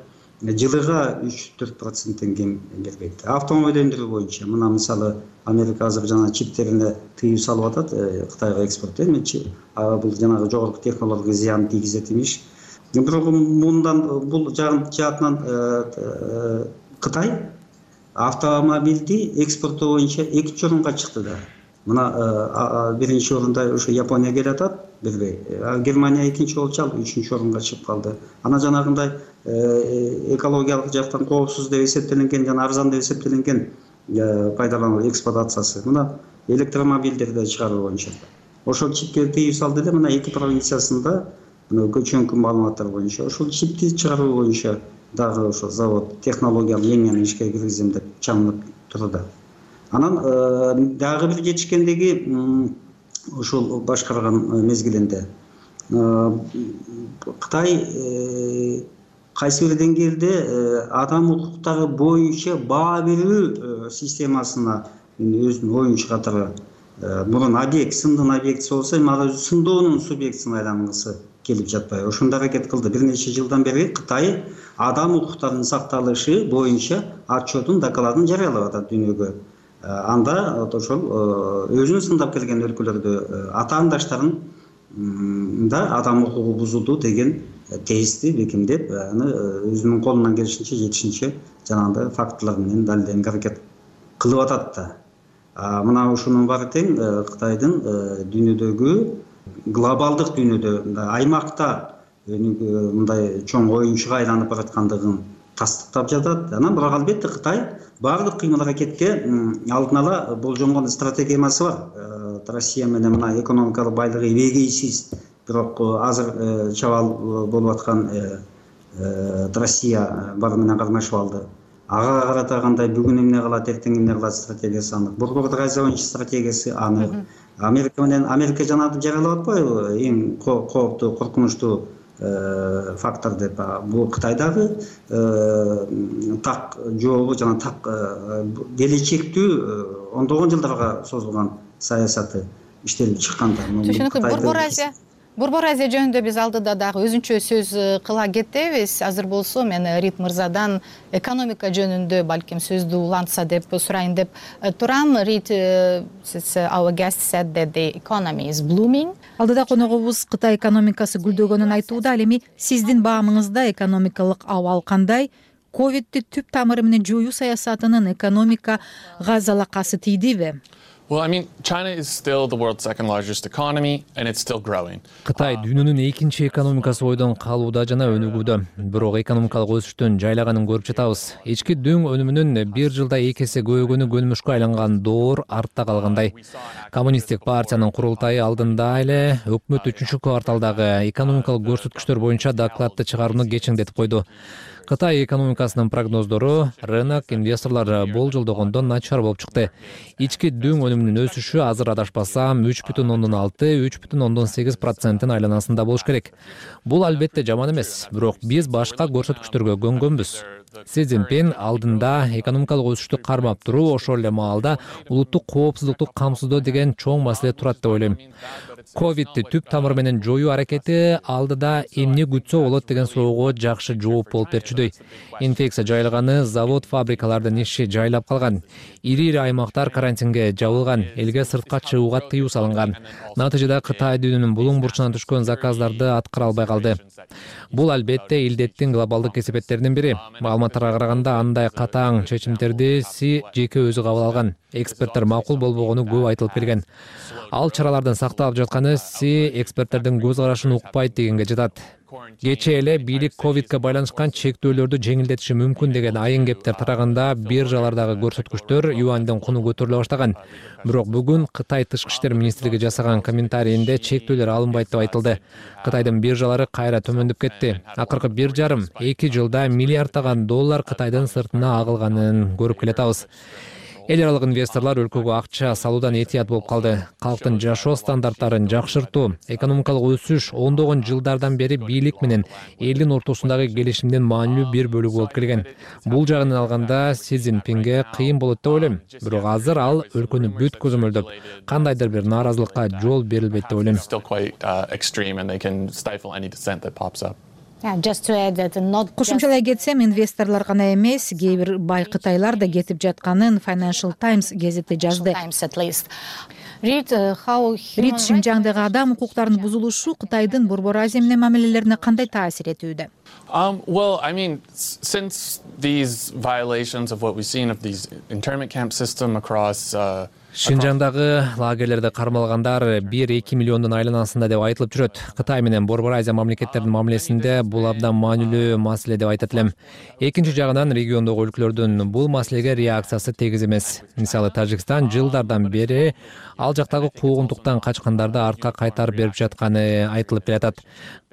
жылыга 3-4% кем бербейт. Автомобиль өндүрүү боюнча мына мисалы Америка азыр жана чиптерине тыюу салып атат, Кытайга экспорт эмечи. Бул жанагы жогорку технологияга зыян тийгизет имиш. Бирок бул жаатынан Кытай автомобилди экспортоо боюнча экинчи орунга чыкты да. Мына биринчи орунда ошо Япония келатат, билбей. Германия экинчи болчу, ал үчүнчү орунга чыгып калды. Ана жанагындай экологиялык жактан коопсуз деп эсептелинген жана арзан деп эсептелинген пайдалануу эксплуатациясы. Мына электромобилдерди чыгаруу боюнча ошол чипке тыюу салды эле. Мына 2 провинциясында көчөнкү маалыматтар боюнча ошол чипти чыгаруу боюнча дагы ошо завод технологиялык линияны ишке киргизем деп чамынып турду. Анан дагы бир жетишкендиги ошол башкарган мезгилинде Кытай кайсы бир деңгээлде адам укуктары боюнча баа берүү системасына өзүнүн оюн чыгатары. Мурун объект, сындын объектиси болсо, эми ал өзү сындоонун субъектисине айлангысы келип жатпайбы. Ошондо аракет кылды. Бир нече жылдан бери Кытай адам укуктарынын сакталышы боюнча отчетун, докладын жарыялап атат дүйнөгө. Анда ошол өзүн сындап келген өлкөлөрдө атаандаштарын адам укугу бузулду деген тезисти бекемдеп, аны өзүнүн колунан келишинче жетишинче жанагындай фактылар менен далилденүүгө аракет кылып атат да. Мына ушунун баары тең Кытайдын дүйнөдөгү глобалдык дүйнөдө аймакта мындай чоң оюнчуга айланып бараткандыгын тастыктап жатат. Анан бирок албетте Кытай баардык кыймыл аракетке алдын ала болжонгон стратегиясы бар. Россия менен мына экономикалык байлыгы эбегейсиз, бирок азыр чабал болуп аткан Россия бары менен кармашып алды. Ага карата кандай бүгүн эмне кылат, эртең эмне кылат стратегиясы анык. Борбордук Азия боюнча стратегиясы анык. Америка жанагынтип жарыялап атпайбы эң кооптуу, коркунучтуу фактор деп. Бул Кытайдагы так жообу жана так келечектүү ондогон жылдарга созулган саясаты иштелип чыккан да. Түшүнүктүү. Борбор Азия жөнүндө биз алдыда дагы өзүнчө сөз кыла кетебиз. Азыр болсо мен Рит мырзадан экономика жөнүндө балким сөздү улантса деп сурайын деп турам. Рит, our guest said that the economy is blooming. Алдыда коногубуз Кытай экономикасы гүлдөгөнүн айтууда. Ал эми сиздин баамыңызда экономикалык абал кандай? Ковидти түп тамыры менен жоюу саясатынын экономикага залакасы тийдиби? Well, I mean, China is still the world's second largest economy, and it's still growing. Кытай дүйнөнүн экинчи экономикасы бойдон калууда жана өнүгүүдө. Бирок экономикалык өсүштүн жайлаганын көрүп жатабыз. Ички дүң өнүмүнүн бир жылда 2 эсе көбөйгөнү көнүмүшкө айланган доор артта калгандай. Коммунисттик партиянын курултайы алдында эле өкмөт 3-кварталдагы экономикалык көрсөткүчтөр боюнча докладты чыгарууну кечиңдетип койду. Кытай экономикасынын прогноздору рынок инвесторлор болжолдогондон начар болуп чыкты. Ички дүң өнүмүнүн өсүшү азыр адашпасам 3,6-3,8% айланасында болуш керек. Бул албетте жаман эмес, бирок биз башка көрсөткүчтөргө көнгөнбүз. Си Цзиньпин алдында экономикалык өсүштү кармап туруу, ошол эле маалда улуттук коопсуздукту камсыздоо деген чоң маселе турат деп ойлойм. Ковидти түп тамыры менен жоюу аракети алдыда эмне күтсө болот деген суроого жакшы жооп болуп берчүдөй. Инфекция жайылганы, завод, фабрикалардын иши жайлап калган. Ири-ири аймактар карантинге жабылган, элге сыртка чыгууга тыюу салынган. Натыйжада Кытай дүйнөнүн булуң бурчунан түшкөн заказдарды аткара албай калды. Бул албетте илдеттин глобалдык кесепеттеринин бири. Маалыматтарга караганда андай катаң чечимдерди Си жеке өзү кабыл алган. Эксперттер макул болбогону көп айтылып келген. Ал чаралардын сакталып жатканы Си эксперттердин көз карашын укпайт дегенге жатат. Кечээ эле бийлик ковидке байланышкан чектөөлөрдү жеңилдетиши мүмкүн деген айын кептер тараганда биржалардагы көрсөткүчтөр юандын куну көтөрүлө баштаган. Бирок бүгүн Кытай тышкы иштер министрлиги жасаган комментарийинде чектөөлөр алынбайт деп айтылды. Кытайдын биржалары кайра төмөндөп кетти. Акыркы 1,5-2 жылда миллиарддаган доллар Кытайдын сыртына агылганын көрүп келатабыз. Эл аралык инвесторлор өлкөгө акча салуудан этият болуп калды. Калктын жашоо стандарттарын жакшыртуу, экономикалык өсүш ондогон жылдардан бери бийлик менен элдин ортосундагы келишимдин маанилүү бир бөлүгү болуп келген. Бул жагынан алганда Си Цзиньпинге кыйын болот деп ойлойм. Бирок азыр ал өлкөнү бүт көзөмөлдөп, кандайдыр бир нааразылыкка жол берилбейт деп ойлойм. Кошумчалай кетсем, инвесторлор гана эмес, кээ бир бай кытайлар да кетип жатканын Financial Times газети жазды. Рид, Шинжаңдагы адам укуктарынын бузулушу Кытайдын Борбор Азия менен мамилелерине кандай таасир этүүдө? Well, I mean, since these violations of what we've seen of these internment camp system across Шинжаңдагы лагерлерде кармалгандар 1-2 миллиондун айланасында деп айтылып жүрөт. Кытай менен Борбор Азия мамлекеттеринин мамилесинде бул абдан маанилүү маселе деп айтат элем. Экинчи жагынан региондогу өлкөлөрдүн бул маселеге реакциясы тегиз эмес. Мисалы Тажикстан жылдардан бери ал жактагы куугунтуктан качкандарды артка кайтарып берип жатканы айтылып келатат.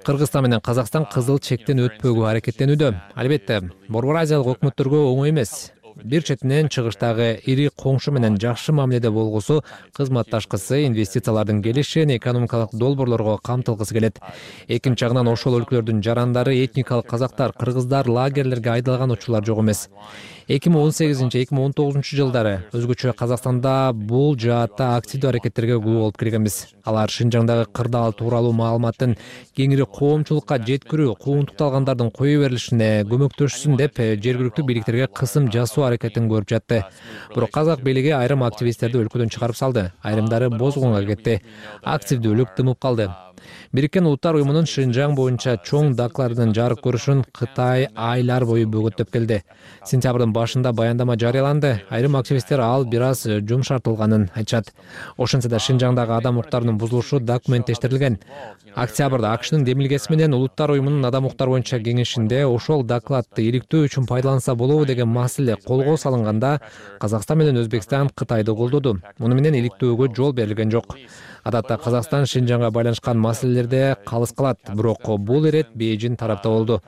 Кыргызстан менен Казакстан кызыл чектен өтпөгө аракеттенүүдө. Албетте, Борбор Азиялык өкмөттөргө оңой эмес. Бир четинен чыгыштагы ири коңшу менен жакшы мамиледе болгусу кызматташкысы, инвестициялардын келишин, экономикалык долбоорлорго камтылгысы келет. Экинчи жагынан ошол өлкөлөрдүн жарандары, этникалык казактар, кыргыздар лагерлерге айдалган учурлар жок эмес. 2018-2019 жылдары өзгөчө Казакстанда бул жаатта активдүү аракеттерге күбө болуп келгенбиз. Алар Шинжаңдагы кырдаал тууралуу маалыматтын кеңири коомчулукка жеткирүү, куугунтукталгандардын кое берилишине көмөктөшсүн деп жергиликтүү бийликтерге кысым жасоо аракетин көрүп жатты. Бирок казак бийлиги айрым активисттерди өлкөдөн чыгарып салды. Айрымдары бозгунга кетти. Активдүүлүк тымып калды. Бириккен Улуттар уюмунун Шинжаң боюнча чоң докладынын жарык көрүшүн Кытай айлар бою бөгөттөп келди. Сентябрдын башында баяндама жарыяланды. Айрым активисттер ал бир аз жумшартылганын айтышат. Ошентсе да Шинжаңдагы адам укуктарынын бузулушу документтештирилген. Октябрда АКШнын демилгеси менен Улуттар уюмунун адам укуктар боюнча кеңешинде ошол докладты иликтөө үчүн пайдаланса болобу деген маселе колго салынганда Казакстан менен Өзбекстан Кытайды колдоду. Муну менен иликтөөгө жол берилген жок. Адатта Казакстан Шинжаңга байланышкан маселелерде калыс калат, бирок бул ирет Бейжин тарапта болду.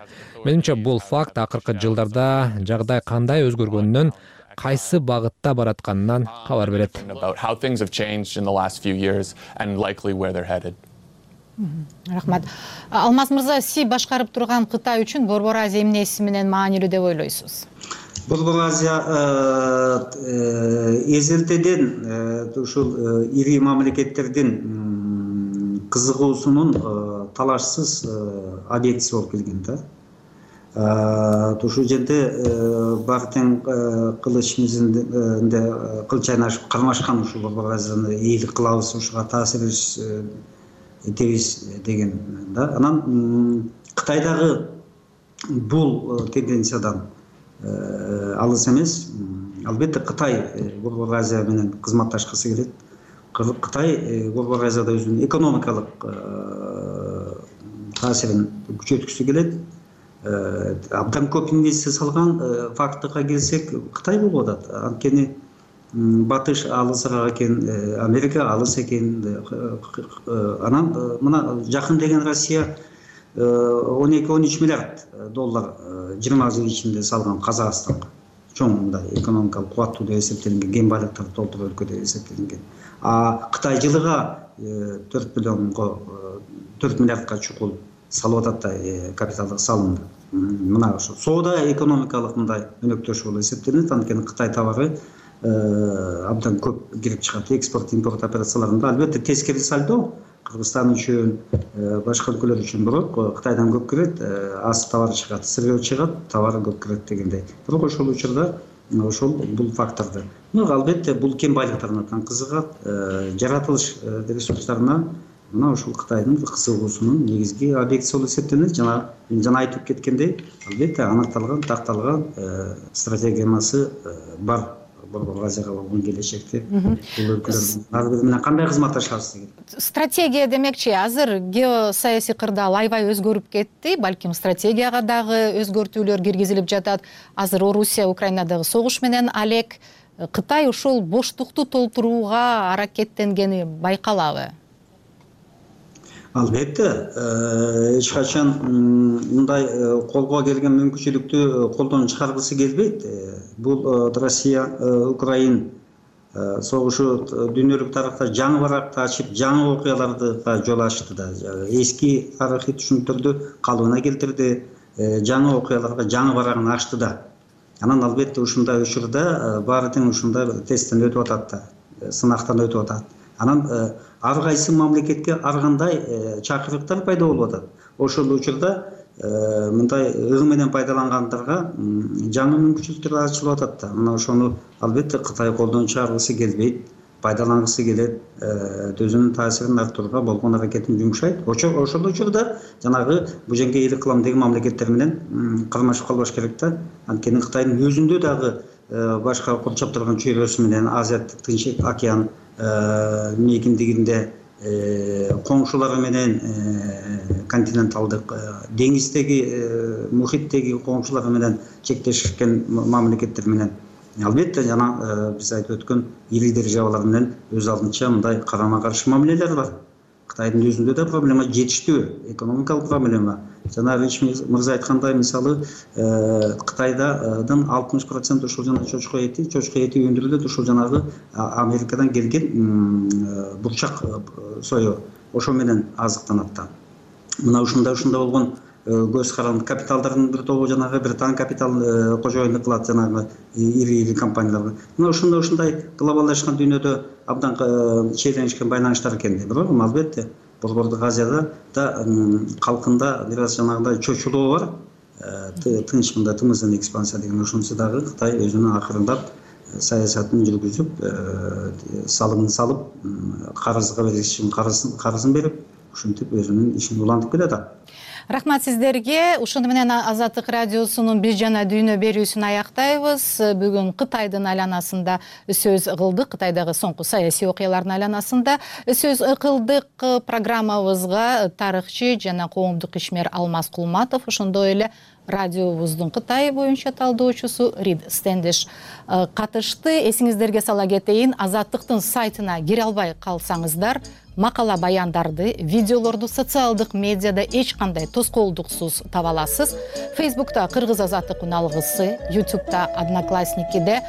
Менимче бул факт акыркы жылдарда жагдай кандай өзгөргөнүнөн, кайсы багытта баратканынан кабар берет. Рахмат. Алмаз мырза, сиз башкарып турган Кытай үчүн Борбор Азия эмнеси менен маанилүү деп ойлойсуз? Борбор Азия эзелтеден ушул ири мамлекеттердин кызыгуусунун талашсыз объектиси болуп келген да. Ушул жерде баары тең кылыч мизинде кыл чайнашып кармашкан ушул Борбор Азияны ийгилик кылабыз, ушуга таасир этебиз деген да. Анан Кытайдагы бул тенденциядан алыс эмес. Албетте Кытай Борбор Азия менен кызматташкысы келет. Кытай Борбор Азияда өзүнүн экономикалык таасирин күчөткүсү келет. Абдан көп инвестиция салган фактыга келсек, Кытай болуп атат. Анткени Батыш алысыраак экен, Америка алыс экен. Анан мына жакын деген Россия 12-13 миллиард доллар 20 жыл ичинде салган Казакстанга. Чоң мындай экономикалык кубаттуу деп эсептелинген, кен байлыктар толтур өлкө деп эсептелинген. Кытай жылыга 4 миллиардка чукул салып атат да капиталдык салымды. Мына ошо соода экономикалык мындай өнөктөш болуп эсептелинет. Анткени Кытай товары абдан көп кирип чыгат. Экспорт-импорт операцияларында албетте тескери сальдо Кыргызстан үчүн, башка өлкөлөр үчүн бирок Кытайдан көп кирет, аз товар чыгат, сыргөө чыгат, товары көп кирет дегендей. Бирок ошол учурда ошол бул факторду. Албетте бул кен байлыктарына кызыгат, жаратылыш ресурстарына мына ошол Кытайдын кызыгуусунун негизги объектиси болуп эсептелет. Жана айтып кеткендей, албетте аныкталган, такталган стратегиясы бар. Борбор Азияга болгон келечекте бул өлкөлөрдүн ар бири менен кандай кызматташабыз деген. Стратегия демекчи, азыр геосаясий кырдаал аябай өзгөрүп кетти. Балким стратегияга дагы өзгөртүүлөр киргизилип жатат. Азыр Орусия Украинадагы согуш менен алек. Кытай ушул боштукту толтурууга аракеттенгени байкалабы? Албетте, эч качан мындай колго келген мүмкүнчүлүктү колдон чыгаргысы келбейт. Бул Россия Украин согушу дүйнөлүк тарыхта жаңы баракты ачып, жаңы окуяларды жол ачты да. Эски тарыхый түшүнүктөрдү калыбына келтирди, жаңы окуяларга жаңы барагын ачты да. Анан албетте ушундай учурда баары тең ушундай тесттен өтүп атат да, сынактан өтүп атат. Анан ар кайсы мамлекетке ар кандай чакырыктар пайда болуп атат. Ошол учурда мындай ыг менен пайдалангандарга жаңы мүмкүнчүлүктөр ачылып атат да. Мына ошону албетте Кытай колдон чыгаргысы келбейт, пайдалангысы келет, өзүнүн таасирин арттырууга болгон аракетин жумшайт. Ошол учурда жанагы бул жерге ийгилик кылам деген мамлекеттер менен кармашып калбаш керек да. Анткени Кытайдын өзүндө дагы башка курчап турган чөйрөсү менен Азият Тынч океан мейкиндигинде коңшулары менен континенталдык деңиздеги, мухиттеги коңшулары менен чектешкен мамлекеттер менен албетте жана биз айтып өткөн ири державалар менен өз алдынча мындай карама каршы мамилелер бар. Кытайдын өзүндө да проблема жетиштүү, экономикалык проблема. Жана Рич мырза айткандай, мисалы Кытайдын 60% ушул жана чочко эти өндүрүлөт, ушул жанагы Америкадан келген бурчак сою, ошо менен азыктанат да. Мына ушундай болгон көз каранды капиталдардын бир тобу жанагы Британ капитал кожоюндук кылат жанагы ири компанияларга. Мына ушундай глобалдашкан дүйнөдө абдан чейленишкен байланыштар экен. Бирок албетте Борбордук Азияда да калкында бир аз жанагындай чочулоо бар. Тынч мындай тымыздын экспансия деген ошонусу дагы Кытай өзүнүн акырындап саясатын жүргүзүп, салымын салып, карызга бериш үчүн карызын берип, ушинтип өзүнүн ишин улантып келатат. Рахмат сиздерге. Ушуну менен Азаттык радиосунун Биз жана дүйнө берүүсүн аяктайбыз. Бүгүн Кытайдын айланасында сөз кылдык. Кытайдагы соңку саясий окуялардын айланасында сөз кылдык. Программабызга тарыхчы жана коомдук ишмер Алмаз Кулматов, ошондой эле радиобуздун Кытай боюнча талдоочусу Рид Стендиш катышты. Эсиңиздерге сала кетейин, Азаттыктын сайтына кире албай калсаңыздар, макала баяндарды, видеолорду социалдык медиада эч кандай тоскоолдуксуз таба аласыз. Фейсбукта Кыргыз Азаттык уналгысы, Ютубта Одноклассникиде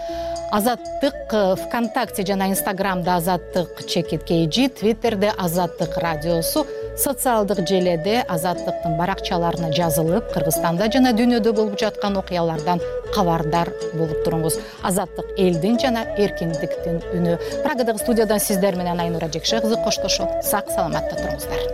Азаттык, ВКонтакте жана Инстаграмда Азаттык _KG, Твиттерде Азаттык радиосу, социалдык желеде Азаттыктын баракчаларына жазылып, Кыргызстанда жана дүйнөдө болуп жаткан окуялардан кабардар болуп туруңуз. Азаттык элдин жана эркиндиктин үнү. Прагадагы студиядан сиздер менен Айнура Жекше кызы коштошот. Сак саламатта туруңуздар.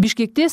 Бишкекте